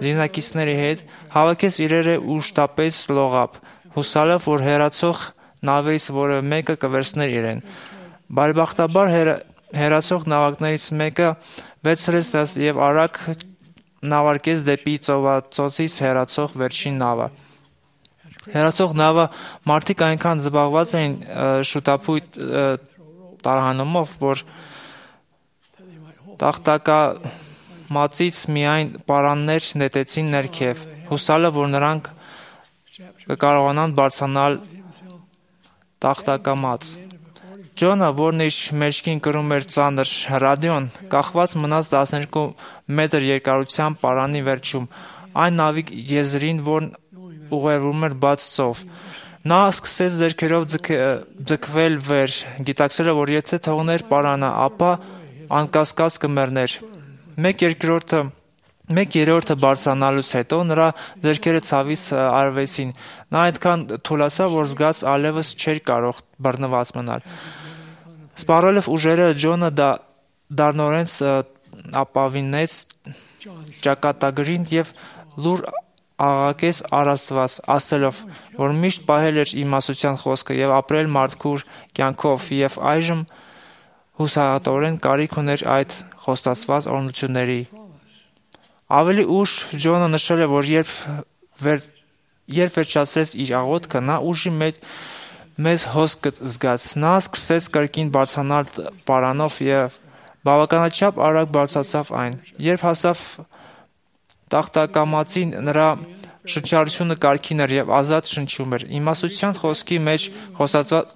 Speaker 6: զինակիցների հետ հավաքեց իրերը ու շտապեց լողափ, հուսալով, որ հեռացող նավերից որևէ մեկը կվերցներ իրեն։ Բարեբախտաբար հեռացող նավակներից մեկը վերցրեց եւ արագ նավարկեց դեպի ծովացոցից հեռացող վերջին նավը։ Հեռացող նավը մարդիկ այնքան զբաղված էին շուտապույտ տարհանումով, որ տախտակամածից միայն պարաններ նետեցին ներքև, հուսալով, որ նրանք կկարողանան բարձրանալ տախտակամած։ Ջոնը, որն իր մեջքին կրում էր ծանր ռադիոն, կախված մնաց 12 մետր երկարության պարանի վերջում, այն նավի եզրին, որն ուղևորում էր բաց ծով։ Նա սկսեց ձեռքերով ձգվել վեր, գիտակցելով, որ եթե թողներ պարանը, ապա անկասկած կմեռներ։ Մեկ երրորդը բարձրանալուց հետո նրա ձեռքերը ցավից արվեցին։ Նա այդքան թուլացավ, որ զգաց այլևս չէր կարող բռնված մնալ։ Սպառելով ուժերը Ջոնը դառնորեն ապավինեց ճակատագրին եւ լուր աղաղակեց առաստված, ասելով, որ միշտ պահել էր իմաստության խոսքը եւ ապրել մարդկուր կյանքով եւ այժմ հուսահատորեն կարիք ուներ այդ խոստացված օրհնությունների։ Ավելի ուշ Ջոնը նշել է, որ երբ վերջացրեց իր աղոթքը, նա ուժի մեծ հոսք զգաց։ Նա սկսեց կրկին բարձրանալ պարանով եւ բավականաչափ արագ բարձրացավ այն։ Երբ հասավ տախտակամածին, նրա շնչառությունը կարգին էր եւ ազատ շնչում էր։ Իմաստության խոսքի մեջ խոստացված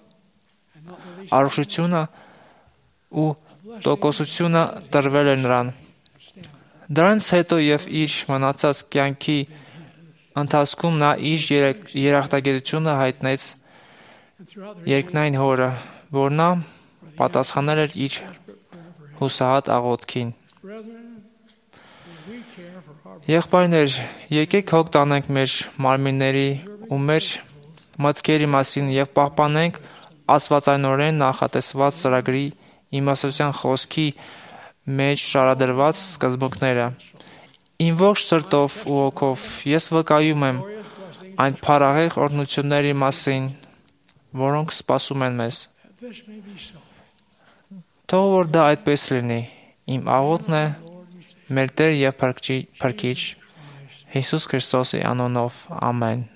Speaker 6: առողջությունը ու տոկոսությունը տրվել էր նրան։ Դրանից հետո եւ իր մնացած կյանքի ընթացքում նա իր երախտագիտությունը հայտնեց երկնային հորը, որ նա պատասխանել էր իր հուսահատ աղոթքին։ Եղբայրներ, եկեք հոգ տանենք մեր մարմինների ու մեր մտքերի մասին եւ պահպանենք աստվածայնորեն նախատեսված ծրագրի իմաստության խոսքի մեջ շարադրված սկզբունքները։ Իմ ողջ սրտով ու հոգով ես վկայում եմ այն փառահեղ օրհնությունների մասին, որոնք սպասում են մեզ։ Թող որ դա այդպես լինի։ Իմ աղոթքն է մեր Տեր եւ Փրկիչ Հիսուս Քրիստոսի անունով։ Ամեն։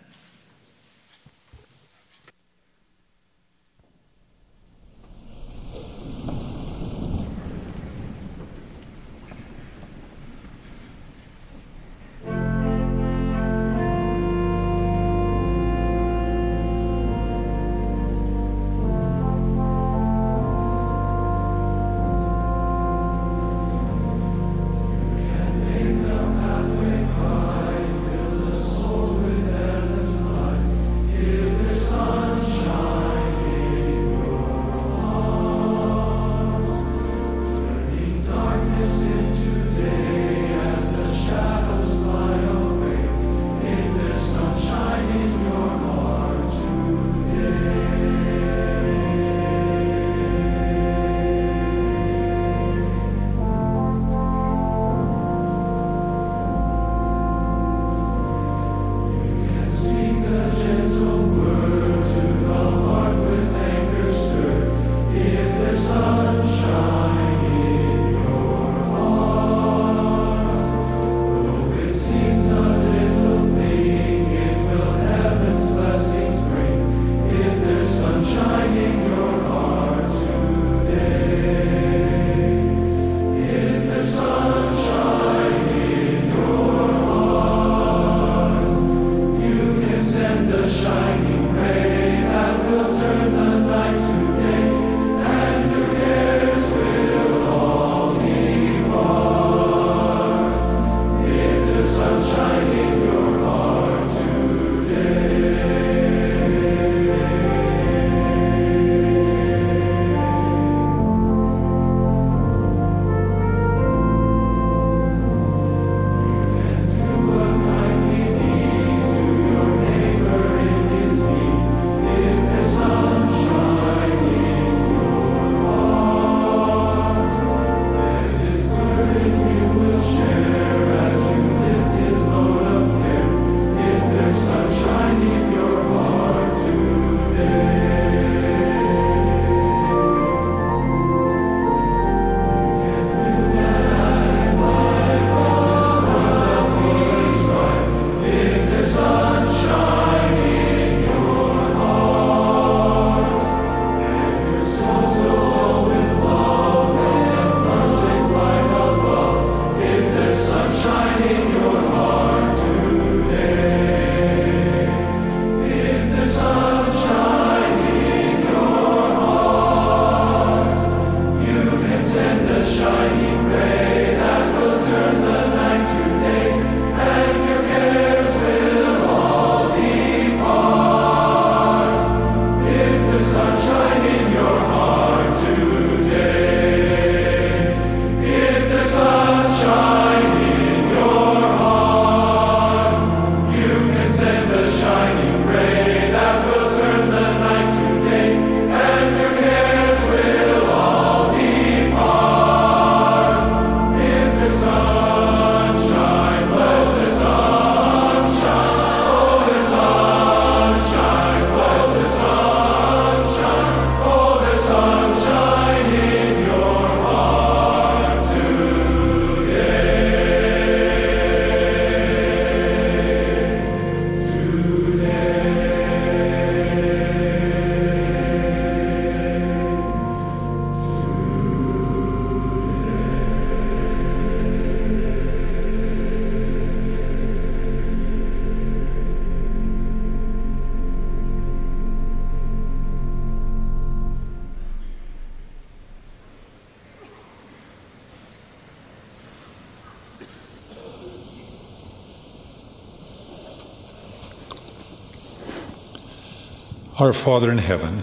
Speaker 10: Our Father in heaven,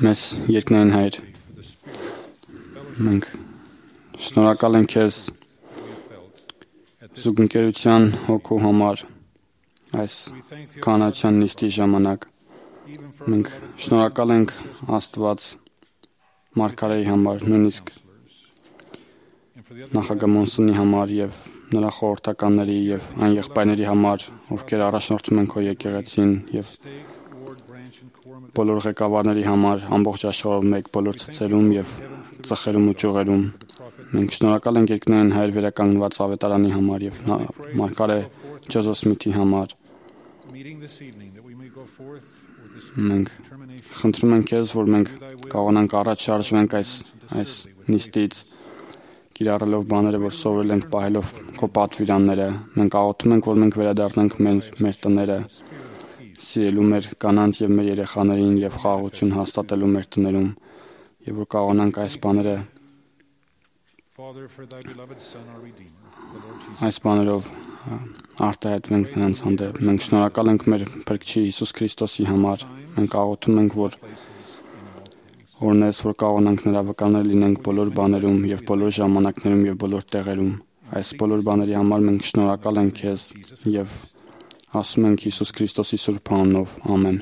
Speaker 4: Մեզ երկնային Հայր, մենք շնորհակալ ենք Քեզ զուգընկերության հոգու համար այս կանացան նիստի ժամանակ։ Մենք շնորհակալ ենք Աստված Մարգարեի համար, նույնիսկ նախագահ Մոնսոնի համար եւ նրա խորհրդականների եւ այն եղբայրների համար, ովքեր առաջնորդում են քո եկեղեցին եւ բոլոր ղեկավարների համար ամբողջ աշխարհով մեկ բոլոր ցցերում եւ ծխերում ու ճյուղերում։ Մենք շնորհակալ ենք երկնային Հայր վերականգնված ավետարանի համար եւ Մարգարե Ջոզեֆ Սմիթի համար։ Մենք խնդրում ենք Քեզ, որ մենք կարողանանք առաջ շարժվենք այս նիստից, կիրառելով բաները, որ սովորել ենք, պահելով քո պատվիրանները։ Մենք աղոթում ենք, որ մենք վերադառնանք մեր տները, սիրելու մեր կանանց եւ մեր երեխաներին եւ խաղաղություն հաստատելու մեր տներում, եւ որ կարողանանք այս բաներով արտահայտվենք նրանց հանդեպ։ Մենք շնորհակալ ենք մեր Փրկչի Հիսուս Քրիստոսի համար։ Մենք աղոթում ենք, որ օրնես, որ կարողանանք նրա վկաներ լինենք բոլոր բաներում եւ բոլոր ժամանակներում եւ բոլոր տեղերում։ Այս բոլոր բաների համար մենք շնորհակալ ենք Քեզ եւ ասում ենք Հիսուս Քրիստոսի սուրբ անունով։ Ամեն։